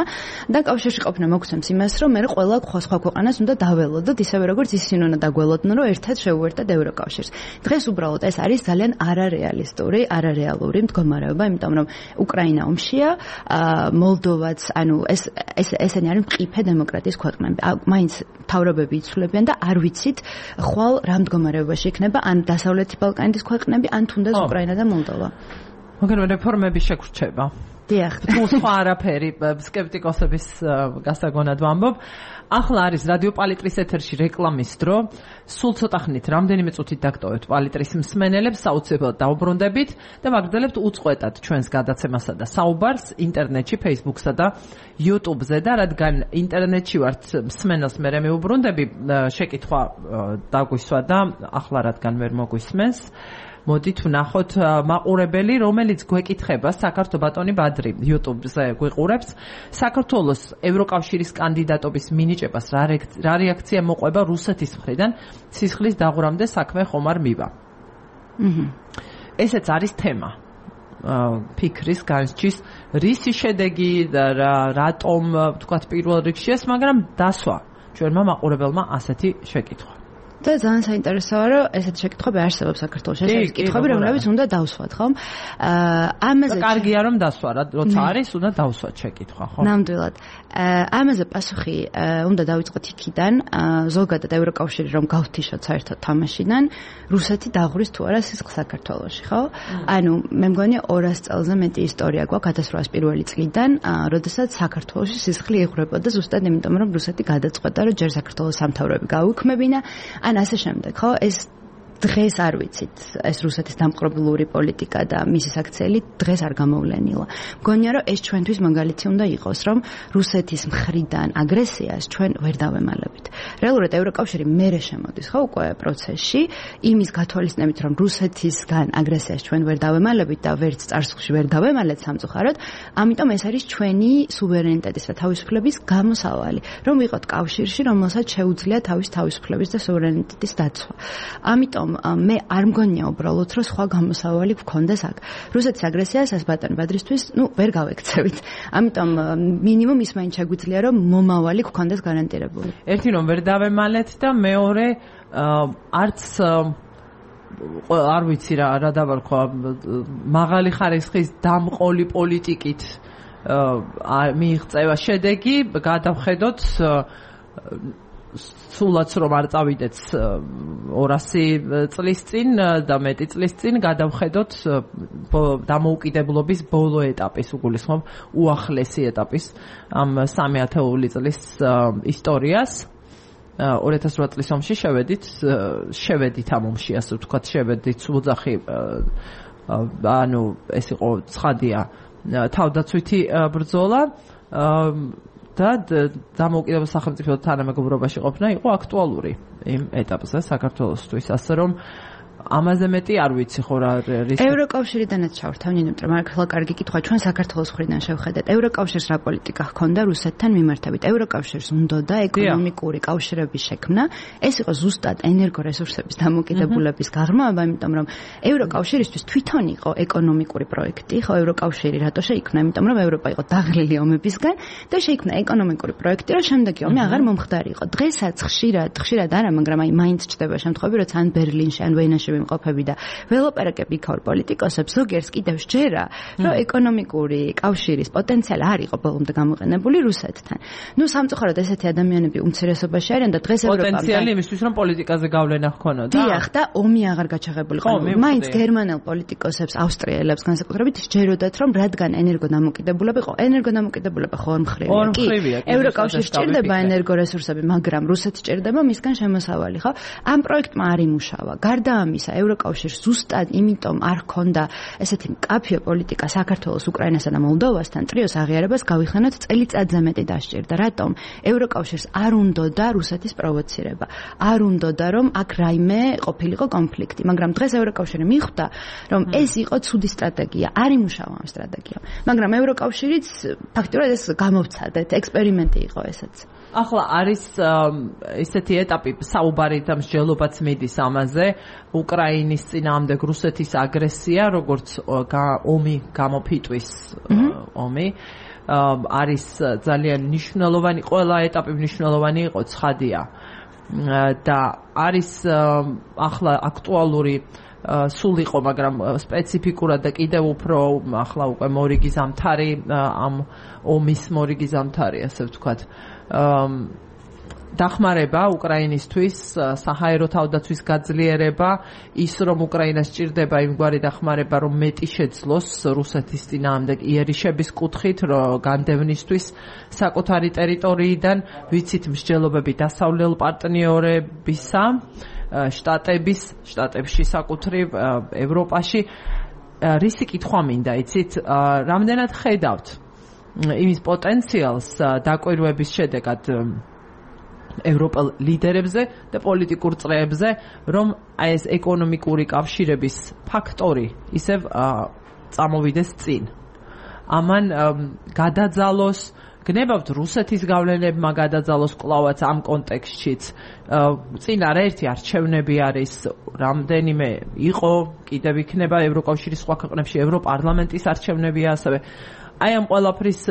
S2: და კავშირში ყოფნა მოგცემს იმას, რომ მე ყველა სხვა ქვეყანას უნდა დაველოდოთ, ისევე როგორც ისინი უნდა დაგველოდნენ, რომ ერთად შევუერთდეთ ევროკავშირს. დღეს უბრალოდ ეს არის ძალიან არარეალისტური, არარეალური მდგომარეობა, იმიტომ რომ უკრაინა ომშია, მოლდოვაც, ანუ ეს ეს ესენი არის მყიფე დემოკრატიის ქვეყნები. მაინც თავრობები იცვლებიან და არ ვიცით ხვალ რა მდგომარეობაში იქნება ან დასავლეთი ბალკანეთის ქვეყნები, ან თუნდაც უკრაინა და მოლდოვა.
S1: მაგრამ რეფორმები შეგრჩება.
S2: დიახ,
S1: თუ სხვა არაფერი სკეპტიკოსების გასაგონად ვამბობ. ახლა არის რადიო პალიტრის ეთერში რეკლამის დრო. სულ ცოტა ხნით რამდენიმე წუთით დაგტოვებთ პალიტრის მსმენელებს, საოცრად დაუბრუნდებით და ვაგრძელებთ უწყვეტად ჩვენს გადაცემასა და საუბარს ინტერნეტში, Facebook-სა და YouTube-ზე და რადგან ინტერნეტში ვართ მსმენელს მე მეუბრუნდები, შეკითხვა დაგვისვა და ახლა რადგან ვერ მოგვისმენს მოდით ვნახოთ მაყურებელი, რომელიც გვეკითხება საქართველოს ბატონი ბადრი YouTube-ზე გვიყურებს. საქართველოს ევროკავშირის კანდიდატობის მინიჭებას რა რეაქცია მოყვება რუსეთის მხრიდან სისხლის დაღვრამდე საქმე ხომ არ მივა.
S2: აჰა.
S1: ესეც არის თემა. ფიქრის განსჯის რისი შედეგი და რატომ თქვათ პირველ რიგში ეს, მაგრამ დასვა ჩვენმა მაყურებელმა ასეთი შეკითხვა.
S2: და ძალიან საინტერესოა, რომ ესეთი შეკითხვები არსებობს საქართველოში. ეს კითხვები, რომლებიც უნდა დავსვათ, ხო? აა ამაზე
S1: კარგია რომ დასვა, როცა არის, უნდა დავსვათ შეკითხვა, ხო?
S2: ნამდვილად. ამაზე პასუხი უნდა დავიწყოთ იქიდან, ზოგადად ევროკავშირი რომ გავთიშოთ საერთოდ თამაშიდან, რუსეთი დაღურის თუ არა სისხლს საქართველოში, ხო? ანუ მე მგონი ორასი წელზე მეტი ისტორია გვაქვს ათას რვაასი პირველი წლიდან, როდესაც საქართველოში სისხლი იღვრებოდა ზუსტად იმიტომ, რომ რუსეთი გადაწყვეტა, რომ ჯერ საქართველოს სამთავროები გაუქმებინა. ან ასე შემდეგ, ხო? ეს დღეს არ ვიცით, ეს რუსეთის დამპყრობლური პოლიტიკა და მისი საქციელი დღეს არ გამოვლენილა. მგონია, რომ ეს ჩვენთვის მაგალითი უნდა იყოს, რომ რუსეთის მხრიდან აგრესიას ჩვენ ვერ დავემალებით. რეალურად ევროკავშირი მერე შემოდის, ხო, უკვე პროცესში, იმის გათვალისწინებით, რომ რუსეთისგან აგრესიას ჩვენ ვერ დავემალებით და ვერც წარსულში ვერ დავემალეთ სამწუხაროდ, ამიტომ ეს არის ჩვენი სუვერენიტეტის და თავისუფლების გამოსავალი, რომ ვიყოთ კავშირში, რომელსაც შეუძლია თავის თავისუფლების და სუვერენიტეტის დაცვა. ამიტომ მე არ მგონია უბრალოდ რომ სხვა გამოსავალი გქონდეს აქ. რუსეთის აგრესიას ეს ბატონი ბადრისთვის, ნუ ვერ გავექცევით. ამიტომ მინიმუმ ის მაინც შეგვიძლია რომ მომავალი გქონდეს გარანტირებული.
S1: ერთი რომ ვერ დავემალეთ და მეორე არც არ ვიცი რა რა დავარქვა მაღალი ხარისხის დამყოლი პოლიტიკით მიიღწევა შედეგი, გადავხედოთ სულაც რომ არ წავიდეთ ორასი წლის წინ და მეტი წლის წინ გადავხედოთ დამოუკიდებლობის ბოლო ეტაპის, უგულისხმობ უახლესი ეტაპის ამ სამი ათეული წლის ისტორიას. ორი ათას რვა წლის ომში შევედით, შევედით ამ ომში, ასე ვთქვათ, შევედით სულძახი, ანუ ეს იყო ცხადია თავდაცვითი ბრძოლა. და დამოუკიდებლობის სახელმწიფო თანამეგობრობაში ყოფნა იყო აქტუალური იმ ეტაპზე საქართველოსთვის, ასე რომ ამაზე მეტი არ ვიცი ხო რა რისკი.
S2: ევროკავშირიდანაც ჩავრთავ, იმიტომ რომ ახლა კარგი კითხვა ჩვენ საქართველოს მხრიდან შევხედეთ. ევროკავშირს რა პოლიტიკა ჰქონდა რუსეთთან მიმართებით? ევროკავშირს უნდოდა ეკონომიკური კავშირების შექმნა, ეს იყო ზუსტად ენერგორესურსების დამოკიდებულების გაღრმავება, იმიტომ რომ ევროკავშირისთვის თვითონ იყო ეკონომიკური პროექტი, ხო, ევროკავშირი რატო შეიქმნა? იმიტომ რომ ევროპა იყო დაღლილი ომებისგან და შეიქმნა ეკონომიკური პროექტი, რომ შემდეგი ომი აღარ მომხდარიყო. დღესაც ხშირად, ხშირად არა, მაგრამ აი მაინც ჩდება შემთხვევები, როცა ან ბერლინში, ან ვენაში ვიმყოფები და ველოპარაკები იქაურ პოლიტიკოსებს, ზოგიერთს კიდევ შეერა, რომ ეკონომიკური კავშირის პოტენციალი არ იყო ბოლომდე გამოყენებული რუსეთთან. ნუ სამწუხაროდ ესეთი ადამიანები უმცირესობაში არიან და დღეს ევროპამ
S1: პოტენციალი იმისთვის რომ პოლიტიკაზე გავლენა ჰქონოდა.
S2: დიახ, და ომი აღარ გაჩაღებულიყო. მაინც გერმანელ პოლიტიკოსებს, ავსტრიელებს განსაკუთრებით სჯეროდათ, რომ რადგან ენერგოდამოკიდებულება იყო, ენერგოდამოკიდებულება ხო არ მხრივია.
S1: კი,
S2: ევროკავშირს სჭირდება ენერგორესურსები, მაგრამ რუსეთი სჭირდება მისგან შემოსავალი, ხო? ამ პროექტმა არ იმუშავა. გარდა ამისა, ევროკავშირს ზუსტად იმიტომ არ ჰქონდა ესეთი მკაფიო პოლიტიკა საქართველოს, უკრაინასა და მოლდოვასთან ტრიოს აღიარებას გავიხსენოთ წელიწადზე მეტი დასჭირდა. რატომ? ევროკავშირს არ უნდოდა რუსეთის პროვოცირება. არ უნდოდა რომ აქ რაიმე ყოფილიყო კონფლიქტი, მაგრამ დღეს ევროკავშირი მიხვდა, რომ ეს იყო ცუდი სტრატეგია, არ იმუშავა ამ სტრატეგიამ. მაგრამ ევროკავშირიც ფაქტობრივად ეს გამოვცადეთ, ექსპერიმენტი იყო ესეც.
S1: ახლა არის ესეთი ეტაპი, საუბარი და მსჯელობაც მიდის ამაზე, უკრაინის წინააღმდეგ რუსეთის აგრესია, როგორც ომი გამოფიტვის ომი, არის ძალიან მნიშვნელოვანი, ყველა ეტაპი მნიშვნელოვანი იყო, ცხადია. და არის ახლა აქტუალური სულ იყო, მაგრამ სპეციფიკურად და კიდევ უფრო ახლა უკვე მორიგი ზამთარი, ამ ომის მორიგი ზამთარი, ასე ვთქვათ. დახმარება უკრაინისთვის, საჰაერო თავდაცვის გაძლიერება, ის რომ უკრაინას სჭირდება იმგვარი დახმარება, რომ მეტი შეძლოს რუსეთის წინააღმდეგ იერიშების კუთხით, განდევნისთვის საკუთარი ტერიტორიიდან, ვიცით მსჯელობები დასავლელ პარტნიორებისა, შტატების, შტატებში საკუთრივ ევროპაში. რისი კითხვა მინდა, იცით, რამდენად ხედავთ იმის პოტენციალს დაკვირვების შედეგად ევროპელ ლიდერებზე და პოლიტიკურ წრეებზე, რომ აი ეს ეკონომიკური კავშირების ფაქტორი ისევ წამოვიდეს წინ. ამან გადაძალოს, გნებავთ რუსეთის გავლენებმა გადაძალოს კლავაც ამ კონტექსტშიც. წინ არაერთი არჩევნები არის, რამდენიმე იყო, კიდევ იქნება ევროკავშირის სხვა ქვეყნებში, ევროპარლამენტის არჩევნებია ასევე. აი ამ ყველაფრის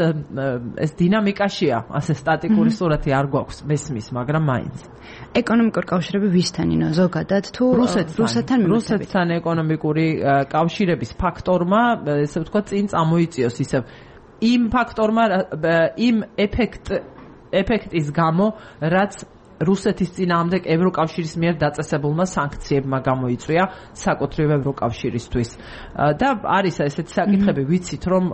S1: ეს დინამიკაშია, ასე სტატიკური სურათი არ გვაქვს მესმის, მაგრამ მაინც.
S2: ეკონომიკური კავშირები ვისთან ინო ზოგადად თუ რუსეთთან
S1: რუსეთთან ეკონომიკური კავშირების ფაქტორმა, ესე ვთქვათ, წინ წამოიწიოს ისევ იმ ფაქტორმა, იმ ეფექტ ეფექტის გამო, რაც რუსეთის წინააღმდეგ ევროკავშირის მიერ დაწესებულმა სანქციებმა გამოიწვია საკუთრივ ევროკავშირისთვის. და არის ესეთი საკითხები, ვიცით, რომ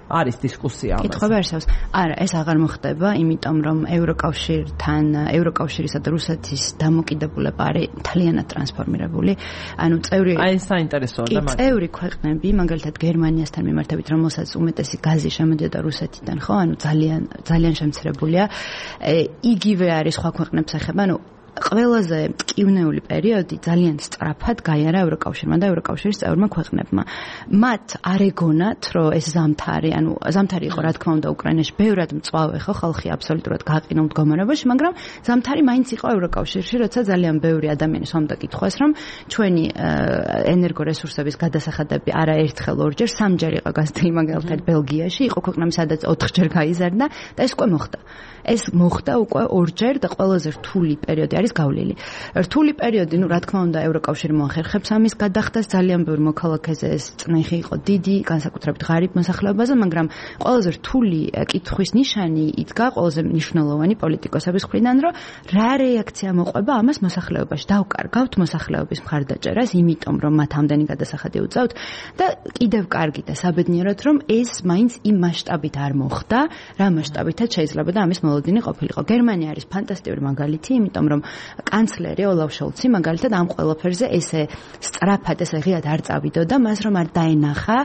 S1: არის დისკუსია ამაზე.
S2: კითხვები არსებობს. არა, ეს აღარ მოხდება, იმიტომ რომ ევროკავშირთან, ევროკავშირისა და რუსეთის დამოკიდებულება არის მთლიანად ტრანსფორმირებული. ანუ წევრი
S1: აი საინტერესოა და
S2: მაგ წევრი ქვეყნები, მაგალითად გერმანიასთან მიმართებით, რომელსაც უმეტესი გაზი შემოდიოდა რუსეთიდან, ხო? ანუ ძალიან ძალიან შემცირებულია. იგივე არის სხვა ქვეყნებს ეხება, ანუ ყველაზე მტკივნეული პერიოდი ძალიან სწრაფად გაიარა ევროკავშირმა და ევროკავშირის წევრმა ქვეყნებმა. მათ არ ეგონათ, რომ ეს ზამთარი, ანუ ზამთარი იყო რა თქმა უნდა უკრაინაში ბევრად მწვავე, ხო, ხალხი აბსოლუტურად გაყინულ მდგომარეობაში, მაგრამ ზამთარი მაინც იყო ევროკავშირში, როცა ძალიან ბევრი ადამიანი სვამდა კითხვას, რომ ჩვენი ენერგორესურსების გადასახადები არაერთხელ ორჯერ, სამჯერ იყო გაზრდილი, მაგალითად ბელგიაში, იყო ქვეყნები, სადაც ოთხჯერ გაიზარდა და ეს უკვე მოხდა. ეს მოხდა უკვე ორჯერ და ყველაზე რთული პერიოდი არის გავლილი. რთული პერიოდი, ну, რა თქმა უნდა, ევროკავშირი მოახერხებს ამის გადახდას, ძალიან ბევრი მოქალაქეზე ეს წნეხი იყო დიდი, განსაკუთრებით ღარიბ მოსახლეობაზე, მაგრამ ყველაზე რთული კითხვის ნიშანი იდგა ყველაზე მნიშვნელოვანი პოლიტიკოსების მხრიდან, რომ რა რეაქცია მოყვება ამას მოსახლეობაში. დავკარგავთ მოსახლეობის მხარდაჭერას, იმიტომ რომ მათ ამდენი გადასახადი უწევთ და კიდევ კარგი და საბედნიეროდ, რომ ეს მაინც იმ მასშტაბით არ მოხდა, რა მასშტაბითაც შეიძლება და ამის მოლოდინი ყოფილიყო. გერმანია არის ფანტასტიკური მაგალითი, იმიტომ რომ კანცლერი ოლაფ შოლცი მაგალითად ამ ყველაფერზე ესე სწრაფად ესე ღიად არ წავიდოდა, მას რომ არ დაენახა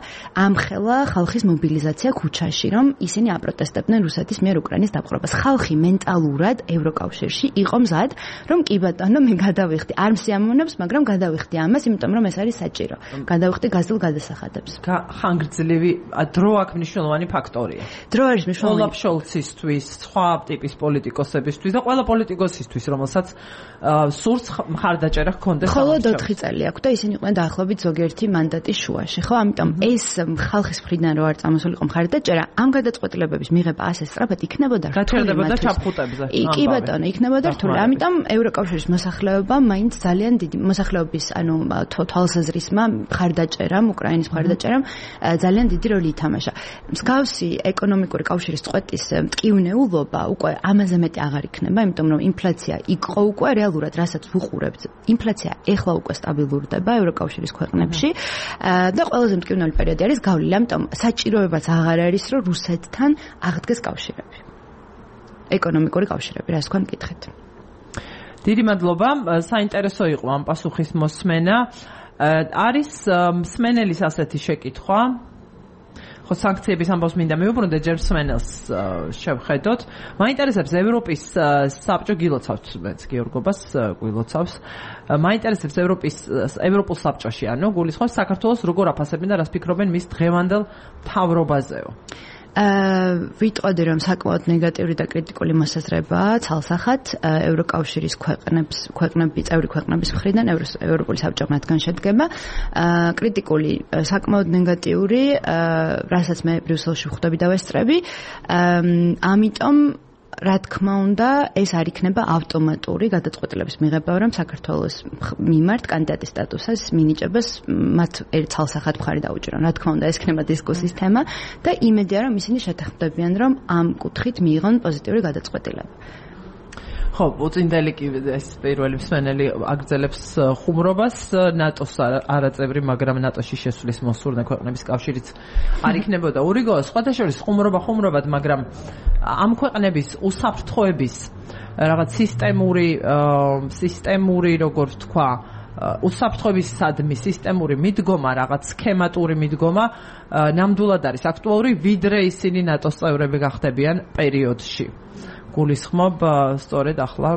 S2: ამხელა ხალხის მობილიზაცია ქუჩაში, რომ ისინი აპროტესტებდნენ რუსეთის მიერ უკრაინის დაპყრობას. ხალხი მენტალურად ევროკავშირში იყო მზად, რომ კი ბატონო, მე გადავიხდი, არ მსიამოვნებს, მაგრამ გადავიხდი ამას, იმიტომ რომ ეს არის საჭირო. გადავიხდი გაზრდილ გადასახადებს.
S1: ხანგრძლივი დრო აქ მნიშვნელოვანი ფაქტორია.
S2: დრო არის მნიშვნელოვანი.
S1: ოლაფ შოლცისთვის, სხვა ტიპის პოლიტიკოსებისთვის და ყველა პოლიტიკოსისთვის, რომელსაც სურს მხარდაჭერა ჰქონდეს.
S2: მხოლოდ ოთხი წელი აქვს და ისინი იყვნენ დაახლოებით ზოგიერთი მანდატის შუაში, ხო? ამიტომ ეს ხალხის მხრიდან რო არ წამოსულიყო მხარდაჭერა, ამ გადაწყვეტილებების მიღება ასე სწრაფად იქნებოდა რთული.
S1: გაჩერდებოდა ჩაფხუტებზე.
S2: კი ბატონო, იქნებოდა რთული. ამიტომ ევროკავშირის მოსახლეობა მაინც ძალიან დიდი მოსახლეობის, ანუ თვალსაზრისმა მხარდაჭერამ, უკრაინის მხარდაჭერამ ძალიან დიდი როლი ითამაშა. მსგავსი ეკონომიკური კავშირის წყვეტის მტკივნეულობა უკვე ამაზე მეტი აღარ იქნება, იმიტომ რომ ინფლაცია იყო უკვე რეალურად, რასაც ვუყურებთ. ინფლაცია ეხლა უკვე სტაბილურდება ევროკავშირის ქვეყნებში და ყველაზე მტკივნეული პერიოდი არის გავლილი, ამიტომ საჭიროებაც აღარ არის, რომ რუსეთთან აღდგეს კავშირები. ეკონომიკური კავშირები, რას თქვენ მკითხეთ?
S1: დიდი მადლობა, საინტერესო იყო ამ პასუხის მოსმენა. არის მსმენელის ასეთი შეკითხვა. ხო, სანქციების ამბავს მინდა მივუბრუნდე, ჯერ მსმენელს შევხედოთ. მაინტერესებს ევროპის საბჭო გილოცავს, მეც გიორგობას გილოცავს. მაინტერესებს ევროპის ევროპულ საბჭოში, ანუ გულისხმობს საქართველოს როგორ აფასებენ და რას ფიქრობენ მის დღევანდელ მთავრობაზეო.
S2: აა ვიტყოდი რომ საკმაოდ ნეგატიური და კრიტიკული მოსაზრებაა ცალსახად ევროკავშირის ქვეყნებს ქვეყნები წევრი ქვეყნების მხრიდან ევროპული საბჭო მათგან შედგება. აა კრიტიკული საკმაოდ ნეგატიური, რასაც მე ბრიუსელში ხვდები და ვესწრები. აა ამიტომ რა თქმა უნდა, ეს არ იქნება ავტომატური გადაწყვეტილების მიღება, რომ საქართველოს მიმართ კანდიდატის სტატუსას მინიჭებას მათ ერთ ცალსახად მხარი დაუჭირონ. რა თქმა უნდა, ეს იქნება დისკუსიის თემა და იმედია, რომ ისინი შეთანხმდებიან, რომ ამ კუთხით მიიღონ პოზიტიური გადაწყვეტილება.
S1: ხო, უწინდელი კი ეს პირველი მსმენელი აგრძელებს ხუმრობას ნატოს არაწევრი, მაგრამ ნატოში შესვლის მოსურნე ქვეყნების კავშირიც არ იქნებოდა. ურიგო, სხვათა შორის ხუმრობა ხუმრობად, მაგრამ ამ ქვეყნების უსაფრთხოების რაღაც სისტემური სისტემური როგორ ვთქვა, უსაფრთხოებისადმი სისტემური მიდგომა, რაღაც სქემატური მიდგომა ნამდვილად არის აქტუალური, ვიდრე ისინი ნატოს წევრები გახდებიან პერიოდში. გულისხმობ სწორედ ახლა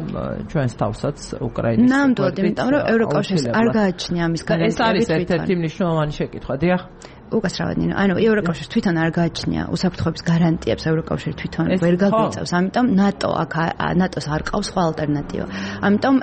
S1: ჩვენს თავსაც უკრაინის.
S2: ნამდვილად, იმიტომ რომ ევროკავშირს არ გააჩნია ამის გარანტიები.
S1: ეს არის ერთ-ერთი მნიშვნელოვანი შეკითხვა, დიახ.
S2: უკასრავად, ანუ ევროკავშირს თვითონ არ გააჩნია უსაფრთხოების გარანტიებს, ევროკავშირი თვითონ ვერ გაგვიწევს, ამიტომ ნატო აქ ნატოს არ ყავს სხვა ალტერნატივა. ამიტომ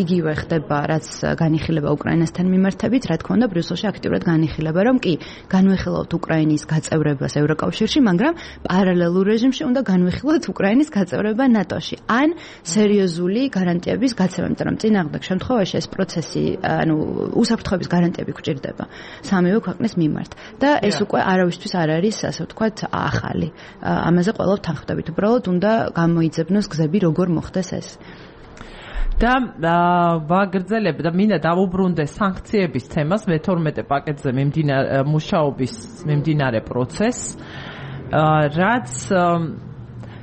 S2: იგივე ხდება, რაც განიხილება უკრაინასთან მიმართებით, რა თქმა უნდა, ბრიუსელში აქტიურად განიხილება, რომ კი, განვიხილავთ უკრაინის გაწევრებას ევროკავშირში, მაგრამ პარალელურ რეჟიმში უნდა განვიხილოთ უკრაინის გაწევრება ნატოში. ან სერიოზული გარანტიების გაცემა, იმიტომ რომ წინააღმდეგ შემთხვევაში ეს პროცესი, ანუ უსაფრთხოების გარანტიები გვჭირდება სამივე ქვეყნის მიმართ. და ეს უკვე არავისთვის არ არის, ასე ვთქვათ, ახალი. ამაზე ყველა თანხმდებით. უბრალოდ უნდა გამოიძებნოს გზები, როგორ მოხდეს ეს.
S1: და ვაგრძელებ და მინდა დავუბრუნდე სანქციების თემას მე თორმეტე პაკეტზე მიმდინარე მუშაობის მიმდინარე პროცესს, რაც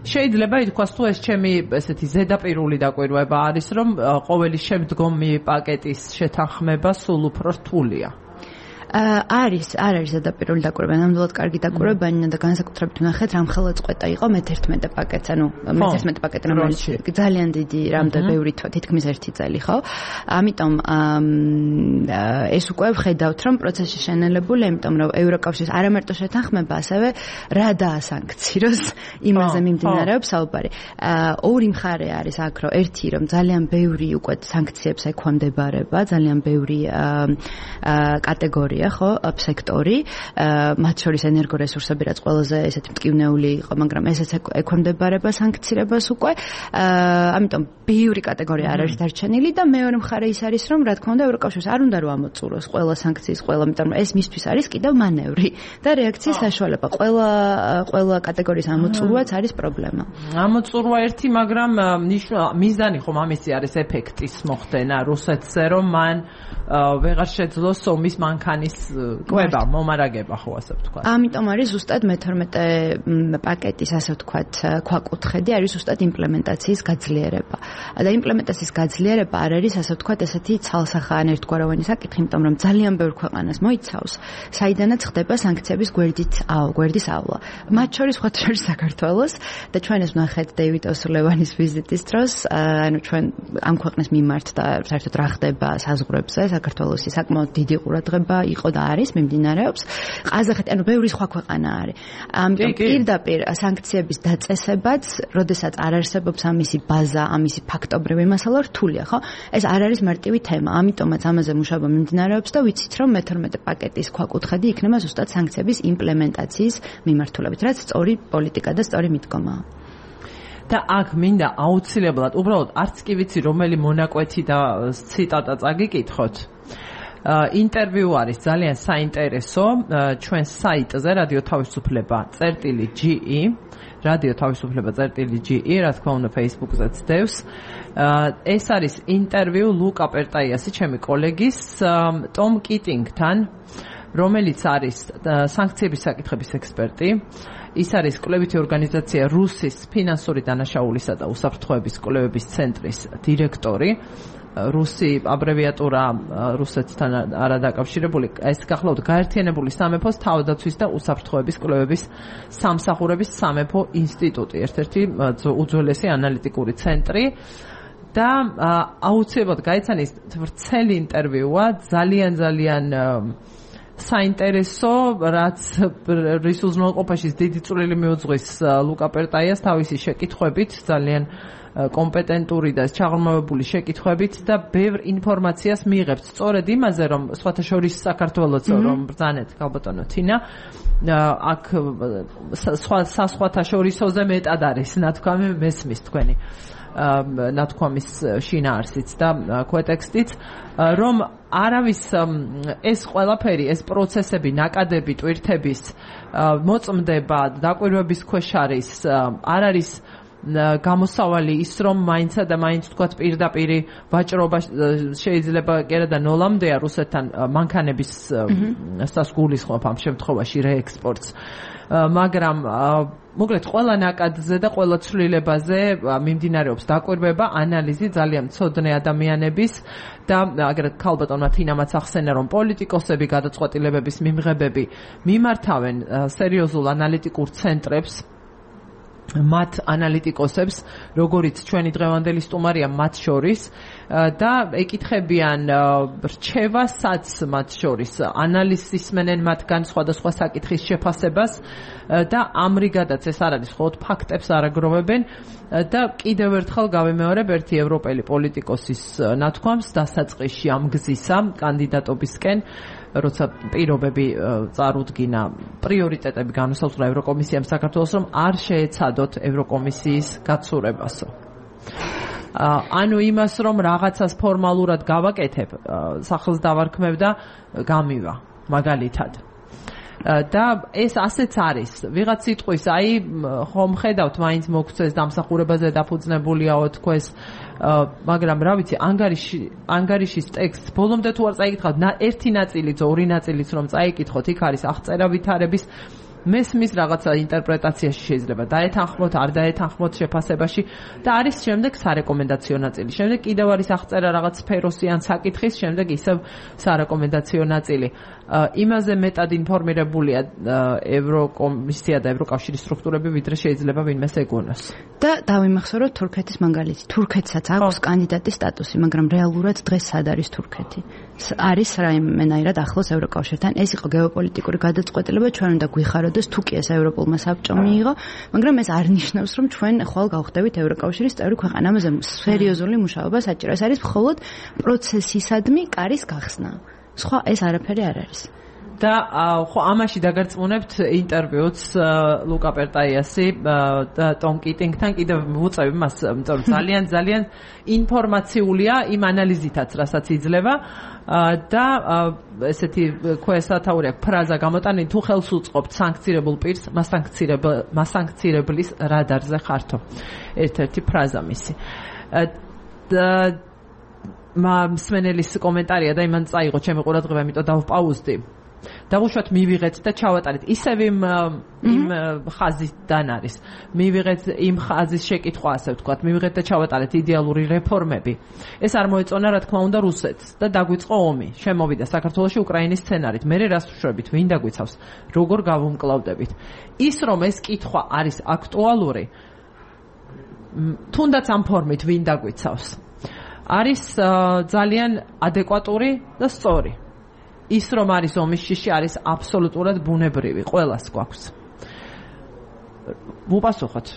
S1: შეიძლება ითქვას, თუ ეს ჩემი ესეთი ზედაპირული დაკვირვება არის, რომ ყოველი შემდგომი პაკეტის შეთანხმება სულ უფრო რთულია.
S2: არის, არ არის ზედაპირული დაკვირვება, ნამდვილად კარგი დაკვირვებაა და განსაკუთრებით ნახეთ, რამ ხელაწყვეტა იყო მეთერთმეტე პაკეტს, ანუ მეთერთმეტე პაკეტი, რომელიც ძალიან დიდი, რამდენ ბევრი თითქმის ერთი წელი, ხო? ამიტომ ეს უკვე ვხედავთ, რომ პროცესი შენელებულია, იმიტომ რომ ევროკავშირის არა მარტო შეთანხმება, ასევე რა დაასანქციროს, იმაზე მიმდინარეობს საუბარი. ორი მხარე არის აქ, რომ ერთი, რომ ძალიან ბევრი უკვე სანქციებს ექვემდებარება, ძალიან ბევრი კატეგორია ხო, სექტორი, მათ შორის ენერგორესურსები, რაც ყველაზე ესეთი მტკივნეული იყო, მაგრამ ესეც ექვემდებარება სანქცირებას უკვე. ამიტომ ბევრი კატეგორია არ არის დარჩენილი და მეორე მხარე ის არის, რომ რა თქმა უნდა ევროკავშირს არ უნდა რომ ამოწუროს ყველა სანქციის ყველა, იმიტომ რომ ეს მისთვის არის კიდევ მანევრი და რეაქციის საშუალება. ყველა ყველა კატეგორიის ამოწურვაც არის პრობლემა.
S1: ამოწურვა ერთი, მაგრამ მიზანი ხომ ამისი არის ეფექტის მოხდენა რუსეთზე, რომ მან ვეღარ შეძლოს ომის მანქანის კვება, მომარაგება, ხო ასე ვთქვათ.
S2: ამიტომ არის ზუსტად მეთორმეტე პაკეტის, ასე ვთქვათ, ქვაკუთხედი არის ზუსტად იმპლემენტაციის გაძლიერება. და იმპლემენტაციის გაძლიერება არ არის, ასე ვთქვათ, ესეთი ცალსახა ან ერთგვაროვანი საკითხი, იმიტომ რომ ძალიან ბევრ ქვეყანას მოიცავს, საიდანაც ხდება სანქციების გვერდით, გვერდის ავლა. მათ შორის სხვა შორის საქართველოს და ჩვენ ეს ვნახეთ დეივიდ ოსურლევანის ვიზიტის დროს, ანუ ჩვენ ამ ქვეყნის მიმართ და საერთოდ რა ხდება საზღვრებზე, საქართველოსი საკმაოდ დიდი ყურადღება იყო და არის მიმდინარეობს. ყაზახეთი, ანუ ბევრი სხვა ქვეყანა არის. ამიტომ პირდაპირ სანქციების დაწესებაც, როდესაც არ არსებობს ამისი ბაზა, ამისი ფაქტობრივი მასალა რთულია, ხო? ეს არ არის მარტივი თემა. ამიტომაც ამაზე მუშაობა მიმდინარეობს და ვიცით, რომ მეთორმეტე პაკეტის ქვაკუთხედი იქნება ზუსტად სანქციების იმპლემენტაციის მიმართულებით, რაც სწორი პოლიტიკა და სწორი მიდგომაა.
S1: და აქ მინდა აუცილებლად, უბრალოდ არც კი ვიცი რომელი მონაკვეთი და ციტატა წაგიკითხოთ. ინტერვიუ არის ძალიან საინტერესო ჩვენ საიტზე რადიო თავისუფლება წერტილი ჯი ი რადიო თავისუფლება წერტილი ჯი ი, რა თქმა უნდა Facebook-ზეც დევს. ეს არის ინტერვიუ ლუკა პერტაიასი, ჩემი კოლეგის, ტომ კიტინგთან, რომელიც არის სანქციების საკითხების ექსპერტი. ის არის კვლევითი ორგანიზაცია რუსის ფინანსური დანაშაულისა და უსაფრთხოების კვლევების ცენტრის დირექტორი. რუსი აბრევიატურა რუსეთთან არადაკავშირებული, ეს გახლავთ გაერთიანებული სამეფოს თავდაცვის და უსაფრთხოების კვლევების სამსახურების სამეფო ინსტიტუტი, ერთ-ერთი უძველესი ანალიტიკური ცენტრი და აუცილებლად გაიცანი ვრცელი ინტერვიუა, ძალიან ძალიან საინტერესო, რაც რის უზრუნველყოფაში დიდი წვლილი მიუძღვის ლუკა პერტაიას თავისი შეკითხვებით, ძალიან კომპეტენტური და ჩაღრმავებული შეკითხვებით და ბევრ ინფორმაციას მიიღებს სწორედ იმაზე, რომ სხვათა შორის საქართველოს რომ ბრძანეთ ქალბატონო თინა აქ სხვა სხვათა შორისოზე მეტად არის ნათქვამი მესმის თქვენი ნათქვამის შინაარსიც და ქვეტექსტიც რომ არავის ეს ყველაფერი ეს პროცესები ნაკადები ტვირთების მოწმდება დაკვირვების ქვეშ არის არ არის გამოსავალი ის რომ მაინცა და მაინც თქვათ პირდაპირ ვაჭრობა შეიძლება კერა და ნოლამდეა რუსეთთან მანქანების გულისხმობ ამ შემთხვევაში რეექსპორტს მაგრამ მოკლედ ყველა ნაკადზე და ყველა ცვლილებაზე მიმდინარეობს დაკვირვება ანალიზი ძალიან მცოდნე ადამიანების და აგრეთ ქალბატონმა თინამაც ახსენა რომ პოლიტიკოსები გადაწყვეტილებების მიმღებები მიმართავენ სერიოზულ ანალიტიკურ ცენტრებს მათ ანალიტიკოსებს, როგორიც ჩვენი დღევანდელი სტუმარია მათ შორის და ეკითხებიან რჩევასაც მათ შორის, ანალიზის მenen მათგან სხვადასხვა საკითხის შეფასებას და ამრიგადაც ეს არ არის მხოლოდ ფაქტებს არაგროვებენ და კიდევ ერთხელ გავიმეორებ ერთი ევროპელი პოლიტიკოსის ნათქვამს დასაწყისში ამ გზისა კანდიდატობისკენ როცა პირობები წარუდგინა პრიორიტეტები განუსაზღვრა ევროკომისიამ საქართველოს რომ არ შეეცადოთ ევროკომისიის გაცურებასო. ანუ იმას რომ რაღაცას ფორმალურად გავაკეთებ, სახელს დავარქმევ და გამივა მაგალითად. და ეს ასეც არის. ვიღაც სიტყვის, აი ხომ ხედავთ, მაინც მოგცეს დამსახურებაზე დაფუძნებულიაო თქვეს, მაგრამ რა ვიცი, ანგარიში ანგარიშის ტექსტს ბოლომდე თუ არ წაიკითხავთ, ერთი ნაწილიც, ორი ნაწილიც რომ წაიკითხოთ, იქ არის აღწერა ვითარების მესმის რაღაცა ინტერპრეტაციაში შეიძლება დაეთანხმოთ, არ დაეთანხმოთ შეფასებაში და არის შემდეგ სარეკომენდაციო ნაწილი. შემდეგ კიდევ არის აღწერა რაღაც სფეროსი ან საკითხის, შემდეგ ისევ სარეკომენდაციო ნაწილი. იმაზე მეტად ინფორმირებულია ევროკომისია და ევროკავშირის სტრუქტურები, ვიდრე შეიძლება ვინმეს ეგონოს.
S2: და დავიმახსოვროთ თურქეთის მაგალითი. თურქეთსაც აქვს კანდიდატის სტატუსი, მაგრამ რეალურად დღეს სად არის თურქეთი? არის რაიმენაირად ახლოს ევროკავშირთან. ეს იყო გეოპოლიტიკური გადაწყვეტილება, ჩვენ უნდა გვიხაროდეს თუ კი ეს ევროპულმა საბჭომ მიიღო, მაგრამ ეს არ ნიშნავს, რომ ჩვენ ხვალ გავხდებით ევროკავშირის წევრი ქვეყანა. ამაზე სერიოზული მუშაობა საჭირო. ეს არის მხოლოდ პროცესისადმი კარის გახსნა. სხვა ეს არაფერი არ არის.
S1: და ხო ამაში დაგარწმუნებთ ინტერვიუც ლუკა პერტაიასი და ტომ კიტინგთან კიდევ ვუწევ მას, იმიტომ რომ ძალიან ძალიან ინფორმაციულია იმ ანალიზითაც, რასაც იძლევა და ესეთი ქვესათაური აქვს ფრაზა გამოტანილი, თუ ხელს უწყობთ სანქცირებულ პირს, მასანქცირებლის რადარზე ხართო. ერთ-ერთი ფრაზა მისი. და მსმენელის კომენტარია და იმან წაიღო ჩემი ყურადღება, იმიტომ დავპაუზდი. დავუშვათ მივიღეთ და ჩავატარეთ ისევ იმ იმ ხაზიდან არის მივიღეთ იმ ხაზის შეკითხვა ასე ვთქვათ მივიღეთ და ჩავატარეთ იდეალური რეფორმები ეს არ მოეწონა რა თქმა უნდა რუსეთს და დაგვიწყო ომი შემოვიდა საქართველოში უკრაინის სცენარით მე რას ვშვებით ვინ დაგვიცავს როგორ გავუმკლავდებით ის რომ ეს კითხვა არის აქტუალური თუნდაც ამ ფორმით ვინ დაგვიცავს არის ძალიან ადეკვატური და სწორი ის რომ არის ომის შიში არის აბსოლუტურად ბუნებრივი ყველას გვაქვს. ვუპასუხოთ.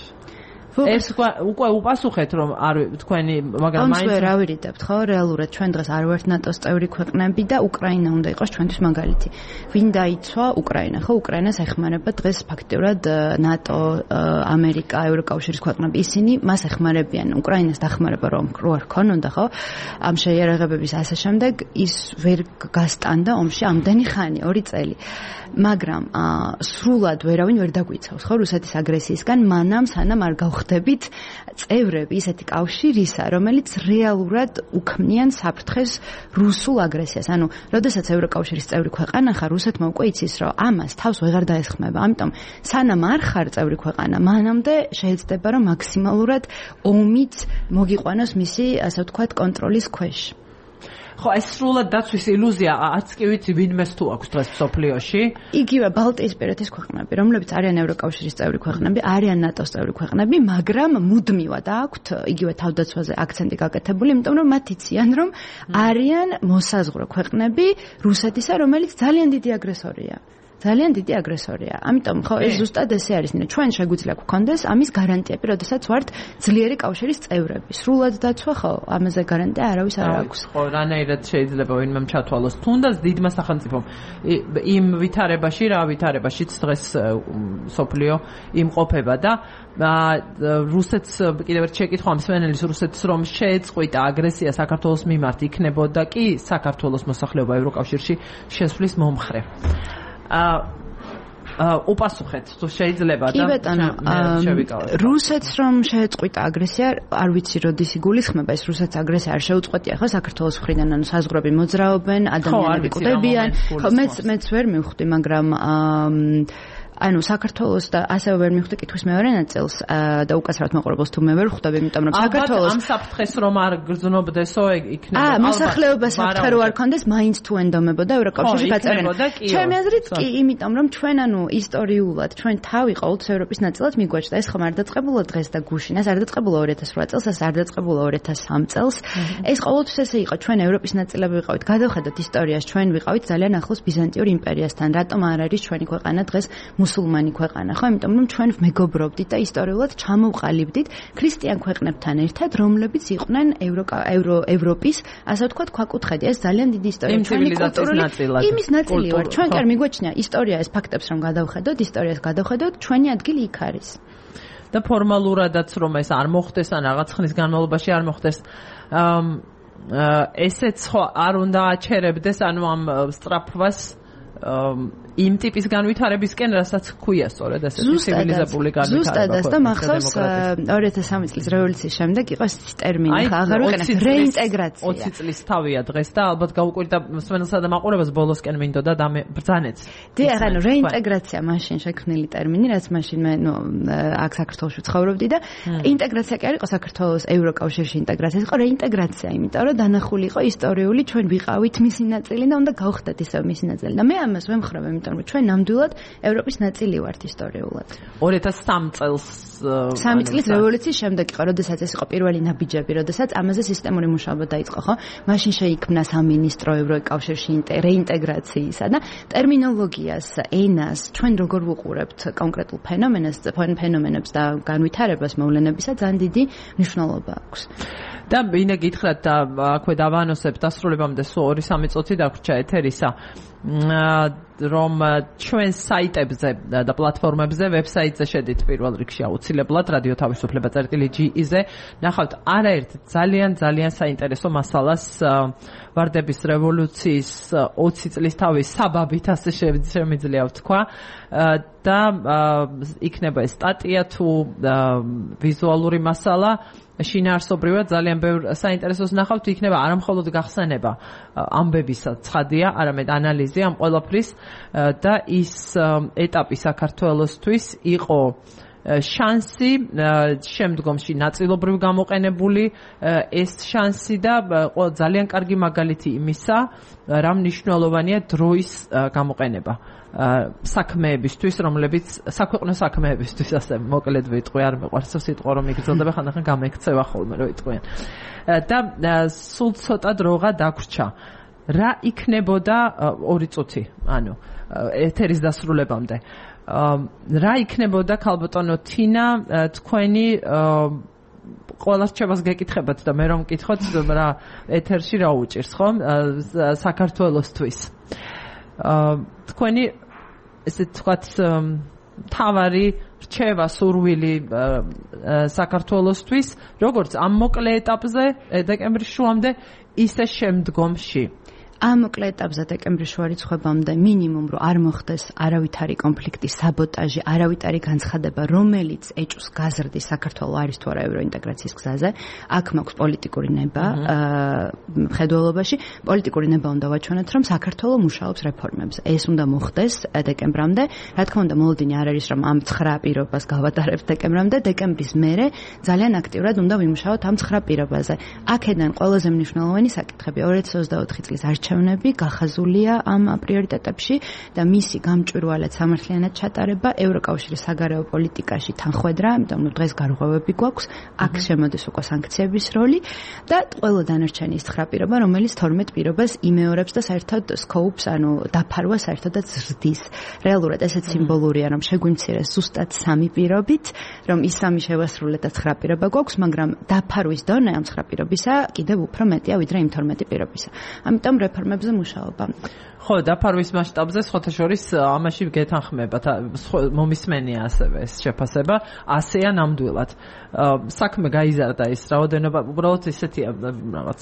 S1: ეს უკვე უპასუხეთ რომ არ თქვენი მაგრამ
S2: მაინც ვერ ავირიდებთ ხო რეალურად ჩვენ დღეს არ ვართ ნატოს წევრი ქვეყნები და უკრაინა უნდა იყოს ჩვენთვის მაგალითი. ვინ დაიცვა უკრაინა ხო უკრაინას ეხმარება დღეს ფაქტიურად ნატო, ამერიკა, ევროკავშირის ქვეყნები ისინი მას ეხმარებიან. უკრაინას დახმარება რომ რო არ ქონონდა ხო ამ შეიარაღებების ასე შემდეგ ის ვერ გასტანდა ომში ამდენი ხანი ორი წელი. მაგრამ სრულად ვერავინ ვერ დაგვიცავს ხო რუსეთის აგრესიისგან მანამ სანამ არ გავხდებით წევრები ისეთი კავშირისა რომელიც რეალურად უქმნიან საფრთხეს რუსულ აგრესიას ანუ როდესაც ევროკავშირის წევრი ქვეყანა ხარ რუსეთმა უკვე იცის რომ ამას თავს ვეღარ დაესხმება ამიტომ სანამ არ ხარ წევრი ქვეყანა მანამდე შეეცდება რომ მაქსიმალურად ომიც მოგიყვანოს მისი ასე ვთქვათ კონტროლის ქვეშ
S1: ხო, ეს სრულად დაცვის ილუზია არც კი ვიცი ვინმეს თუ აქვს დღეს მსოფლიოში.
S2: იგივე ბალტიისპირეთის ქვეყნები, რომლებიც არიან ევროკავშირის წევრი ქვეყნები, არიან ნატოს წევრი ქვეყნები, მაგრამ მუდმივად აქვთ იგივე თავდაცვაზე აქცენტი გაკეთებული, იმიტომ რომ მათ იციან, რომ არიან მოსაზღვრე ქვეყნები რუსეთისა, რომელიც ძალიან დიდი აგრესორია. ძალიან დიდი აგრესორია. ამიტომ ხო ეს ზუსტად ესე არის, ნინა, ჩვენ შეგვიძლია გვქონდეს ამის გარანტიები, როდესაც ვართ ძლიერი კავშირის წევრები. სრულად დაცვა ხო, ამაზე გარანტია არავის არ აქვს.
S1: ხო, რანაირად შეიძლება ვინმე ჩათვალოს. თუნდაც დიდმა სახელმწიფომ იმ ვითარებაში, რა ვითარებაშიც დღეს სოფლიო იმყოფება და რუსეთს კიდევ ერთ შეკითხვა მსმენელის რუსეთს რომ შეეწყვიტა აგრესია საქართველოს მიმართ იქნებოდა კი საქართველოს მოსახლეობა ევროკავშირში შესვლის მომხრე. აა უპასუხეთ თუ შეიძლება და
S2: კი ბატონო, რუსეთს რომ შეეწყვიტა აგრესია, არ ვიცი როდის იგულისხმება ეს რუსეთს აგრესია არ შეუწყვეტია ხო საქართველოს მხრიდან, ანუ საზღვრები მოძრაობენ, ადამიანები კვდებიან. ხო, მეც მეც ვერ მივხვდი, მაგრამ აა ანუ საქართველოს და ასევე ვერ მივხვდი კითხვის მეორე ნაწილს და უკაცრავად მაყურებელს თუ მე ვერ ხვდები, იმიტომ რომ საქართველოს
S1: ამ საფრთხეს რომ არ გრძნობდესო იქნება
S2: აა მოსახლეობას საფრთხე რო არ ქონდეს, მაინც თუ ენდომებოდა ევროკავშირში გაწერენ. ჩემი აზრით კი, იმიტომ რომ ჩვენ ანუ ისტორიულად ჩვენ თავი ყოველთვის ევროპის ნაწილად მიგვაჩნდა, ეს ხომ არ დაწყებულა დღეს და გუშინ, ეს არ დაწყებულა ორი ათას რვა წელს, ეს არ დაწყებულა ორი ათას სამ წელს. ეს ყოველთვის ესე იყო, ჩვენ ევროპის ნაწილები ვიყავით, გადავხედოთ ისტორიას, ჩვენ ვიყავით ძალიან ახლოს ბიზანტიურ იმპერიასთან. რატომ არ არის ჩვენი ქვეყანა დღეს მუსულმანი ქვეყანა, ხო? იმიტომ რომ ჩვენ მეგობრობდით და ისტორიულად ჩამოვყალიბდით ქრისტიან ქვეყნებთან ერთად, რომლებიც იყვნენ ევროპის, ასე ვთქვათ, ქვაკუთხედი. ეს ძალიან დიდი ისტორია ჩვენი კულტურული იმის ნაწილი ვარ. ჩვენ კი არ მიგვაჩნია ისტორია ეს ფაქტებს რომ გადავხედოთ, ისტორიას გადავხედოთ, ჩვენი ადგილი იქ არის.
S1: და ფორმალურადაც რომ ეს არ მოხდეს ან რაღაც ხნის განმავლობაში არ მოხდეს, ესეც ხო არ უნდა აჩერებდეს, ანუ ამ სწრაფვას იმ ტიპის განვითარებისკენ, რასაც ქვია სწორედ ასეთი ცივილიზებული განვითარება.
S2: ზუსტადაც და მახსოვს ორი ათას სამი წლის რევოლუციის შემდეგ იყო ეს ტერმინი, ხა აღარ ვიყენებ, რეინტეგრაცია.
S1: ოცი წლის თავია დღეს და ალბათ გაუკვირდა მსმენელსა და მაყურებელს ბოლოსკენ მინდოდა და ბრძანეც.
S2: დიახ, ანუ რეინტეგრაცია მაშინ შექმნილი ტერმინი, რაც მაშინ მე ნუ აქ საქართველოში ცხოვრობდი და ინტეგრაცია კი არ იყო საქართველოს ევროკავშირში ინტეგრაცია, იყო რეინტეგრაცია, იმიტომ რომ დანახული იყო ისტორიული, ჩვენ ვიყავით მისი ნაწილი და უნდა გავხდეთ ისევ მისი ნაწილი. და მე ამას ვემხრობ, იმიტომ რომ ჩვენ ნამდვილად ევროპის ნაწილი ვართ ისტორიულად.
S1: ორი ათას სამი წელს
S2: სამი წლის რევოლუციის შემდეგ იყო, როდესაც ეს იყო პირველი ნაბიჯები, როდესაც ამაზე სისტემური მუშაობა დაიწყო, ხო? მაშინ შეიქმნა სამინისტრო ევროკავშირში რეინტეგრაციისა და ტერმინოლოგიას, ენას, ჩვენ როგორ ვუყურებთ კონკრეტულ ფენომენს, ფენომენებს და განვითარებას მოვლენებისა ძალიან დიდი მნიშვნელობა აქვს.
S1: და ვინე გითხრათ და აქვე დავანოსებ დასრულებამდე სულ ორი სამი წუთი დაგვრჩა ეთერისა. რომ ჩვენ საიტებზე და პლატფორმებზე, ვებსაიტზე შედით პირველ რიგში აუცილებლად რადიო თავისუფლება წერტილი ჯი-ზე ნახავთ არაერთ ძალიან ძალიან საინტერესო მასალას ვარდების რევოლუციის ოცი წლის თავის საბაბით, ასე შემიძლია ვთქვა და იქნება ეს სტატია თუ ვიზუალური მასალა. შინაარსობრივად ძალიან ბევრ საინტერესოს ნახავთ, იქნება არა მხოლოდ გახსენება ამბებისა ცხადია, არამედ ანალიზი ამ ყველაფრის და ის ეტაპი საქართველოსთვის იყო შანსი შემდგომში ნაწილობრივ გამოყენებული ეს შანსი და ძალიან კარგი მაგალითი იმისა, რა მნიშვნელოვანია დროის გამოყენება საქმეებისთვის, რომლებიც საქვეყნო საქმეებისთვის, ასე მოკლედ ვიტყვი, არ მეყვარს სიტყვა რომ იგრძელდება, ხანდახან გამექცევა ხოლმე რომ ვიტყვიან. და სულ ცოტა დროღა დაგვრჩა. რა იქნებოდა ორი წუთი, ანუ ეთერის დასრულებამდე. რა იქნებოდა ქალბატონო თინა თქვენი ყველა რჩევას გეკითხებათ და მე რომ მკითხოთ რა ეთერში რა უჭირს ხო საქართველოსთვის. თქვენი ესე თქვათ თავარი რჩევა სურვილი საქართველოსთვის, როგორც ამ მოკლე ეტაპზე დეკემბრის შუამდე, ისე შემდგომში.
S2: ამ მოკლე ეტაპზე დეკემბრის შუა რიცხვებამდე მინიმუმ რომ არ მოხდეს არავითარი კონფლიქტი, საბოტაჟი, არავითარი განცხადება, რომელიც ეჭვს გაზრდის საქართველოს არის თუ არა ევროინტეგრაციის გზაზე, აქ მაქვს პოლიტიკური ნება მხედველობაში, პოლიტიკური ნება უნდა ვაჩვენოთ, რომ საქართველოს მუშაობს რეფორმებზე. ეს უნდა მოხდეს დეკემბრამდე. რა თქმა უნდა, მოლოდინი არ არის რომ ამ ცხრა პირობას გავატარებთ დეკემბრამდე, დეკემბრის მერე ძალიან აქტიურად უნდა ვიმუშაოთ ამ ცხრა პირობაზე. აქედან ყველაზე მნიშვნელოვანი საკითხები ორი ათი ოცდაოთხი წლის არჩევნები გახაზულია ამ პრიორიტეტებში და მისი გამჭვირვალედ სამართლიანად ჩატარება ევროკავშირის საგარეო პოლიტიკაში თანხვედრა, ამიტომ ნუ დღეს გარღვევები გვაქვს, აქ შემოდის უკვე სანქციების როლი და ყველა დანარჩენი ის ცხრა პირობა, რომელიც თორმეტ პირობას იმეორებს და საერთოდ სკოუპს, ანუ დაფარვა საერთოდაც ზრდის. რეალურად ესეც სიმბოლურია, რომ შეგვიმცირეს ზუსტად სამი პირობით, რომ ის სამი შევასრულეთ და ცხრა პირობა გვაქვს, მაგრამ დაფარვის დონე ამ ცხრა პირობისა კიდევ უფრო მეტია ვიდრე იმ თორმეტი პირობისა. ამიტომ რეფორმებზე მუშაობა.
S1: ხო, დაფარვის მასშტაბზე სხვათა შორის ამაში გეთანხმებათ, მომისმენია ასევე ეს შეფასება, ასეა ნამდვილად. საქმე გაიზარდა ის რაოდენობა, უბრალოდ ისეთია რაღაც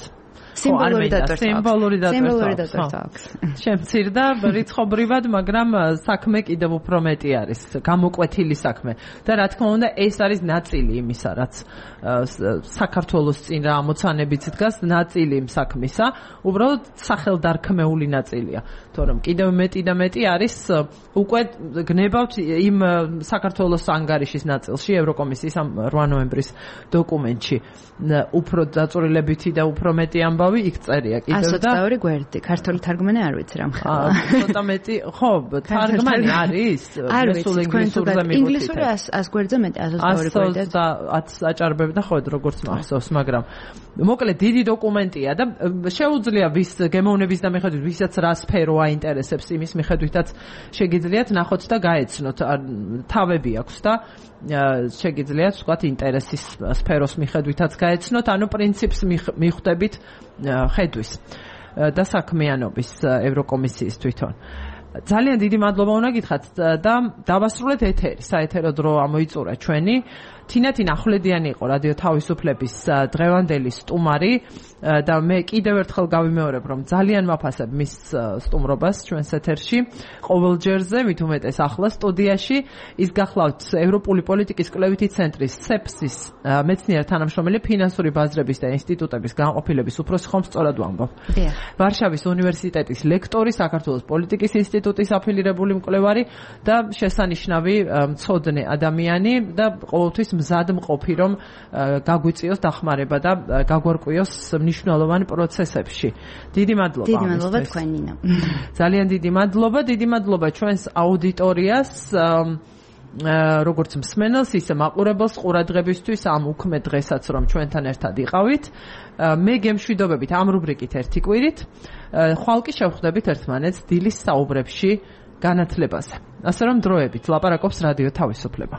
S2: სიმბოლური დატვირთვა.
S1: სიმბოლური
S2: დატვირთვა აქვს.
S1: შემცირდა რიცხობრივად, მაგრამ საქმე კიდევ უფრო მეტი არის, გამოკვეთილი საქმე. და რა თქმა უნდა, ეს არის ნაწილი იმისა, რაც საქართველოს წინ რა ამოცანებიც დგას, ნაწილი იმ საქმისა, უბრალოდ სახელდარქმეული ნაწილია. თორემ კიდევ მეტი და მეტი არის უკვე გნებავთ იმ საქართველოს ანგარიშის ნაწილში, ევროკომისიის ამ რვა ნოემბრის დოკუმენტში. უფრო დაწვრილებითი და უფრო მეტი ამბავი იქ წერია კიდევ და
S2: ას ოცდაორი გვერდი, ქართული თარგმანი არ ვიცი რა მხოლოდ.
S1: ცოტა მეტი, ხო, თარგმანი არის?
S2: არ ვიცი, ინგლისურზე მივხვდით. ინგლისური ას გვერდზე მეტი ას ოცდაორი გვერდი.
S1: და ათ აჭარბები და ხო, როგორც მახსოვს, მაგრამ მოკლედ დიდი დოკუმენტია და შეუძლია ვის გემოვნების და მიხედვით, ვისაც რა სფერო აინტერესებს, იმის მიხედვითაც შეგიძლიათ ნახოთ და გაეცნოთ. თავები აქვს და შეგიძლიათ ვთქვათ ინტერესის სფეროს მიხედვითაც გაეცნოთ, ანუ პრინციპს მიხვდებით ხედვის და საქმიანობის ევროკომისიის თვითონ. ძალიან დიდი მადლობა უნდა გითხრათ და დავასრულეთ ეთერი, საეთერო დრო ამოიწურა ჩვენი. თინათინ ახვლედიანი იყო რადიო თავისუფლების დღევანდელი სტუმარი და მე კიდევ ერთხელ გავიმეორებ, რომ ძალიან ვაფასებ მის სტუმრობას ჩვენს ეთერში ყოველჯერზე, მით უმეტეს ახლა სტუდიაში. ის გახლავთ ევროპული პოლიტიკის კვლევითი ცენტრის სეფსის მეცნიერ თანამშრომელი, ფინანსური ბაზრების და ინსტიტუტების განყოფილების უფროსი, ხომ სწორად ვამბობ. ვარშავის უნივერსიტეტის ლექტორი, საქართველოს პოლიტიკის ინსტიტუტის აფილირებული მკვლევარი და შესანიშნავი მცოდნე ადამიანი და ყოველთვის მზად მყოფი, რომ გაგვიწიოს დახმარება და გაგვარკვიოს მნიშვნელოვან პროცესებში. დიდი მადლობა.
S2: დიდი მადლობა თქვენ ნინა.
S1: ძალიან დიდი მადლობა, დიდი მადლობა ჩვენს აუდიტორიას, როგორც მსმენელს, ისე მაყურებელს ყურადღებისთვის ამ უქმე დღესაც, რომ ჩვენთან ერთად იყავით. მე გემშვიდობებით ამ რუბრიკით ერთი კვირით. ხვალ კი შევხვდებით ერთმანეთს დილის საუბრებში განათლებაზე. ასე რომ დროებით ლაპარაკობს რადიო თავისუფლება.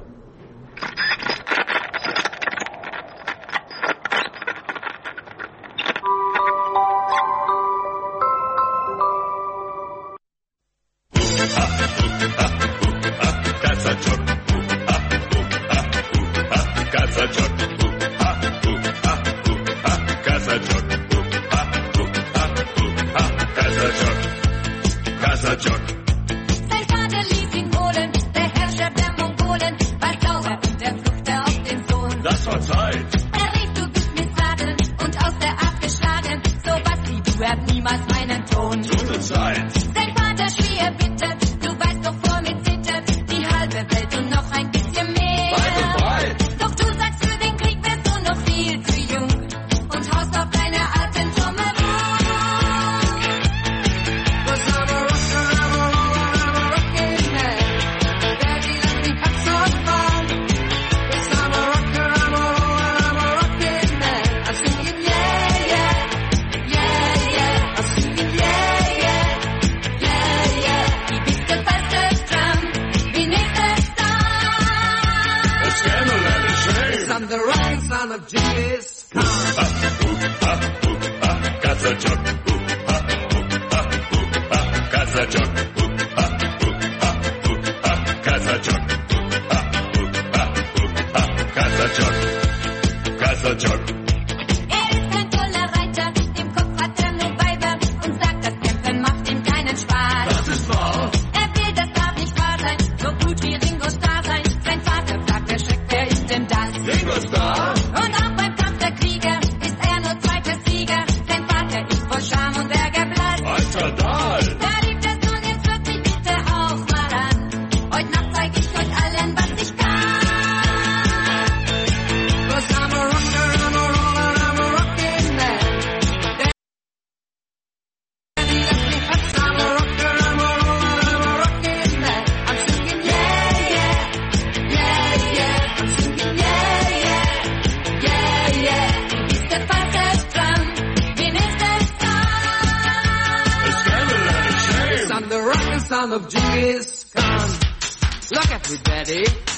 S3: Er ist ein toller Reiter, im Kopf hat er nur Weiber und sagt, das Tempo Of Genghis Khan. Look at me, Daddy.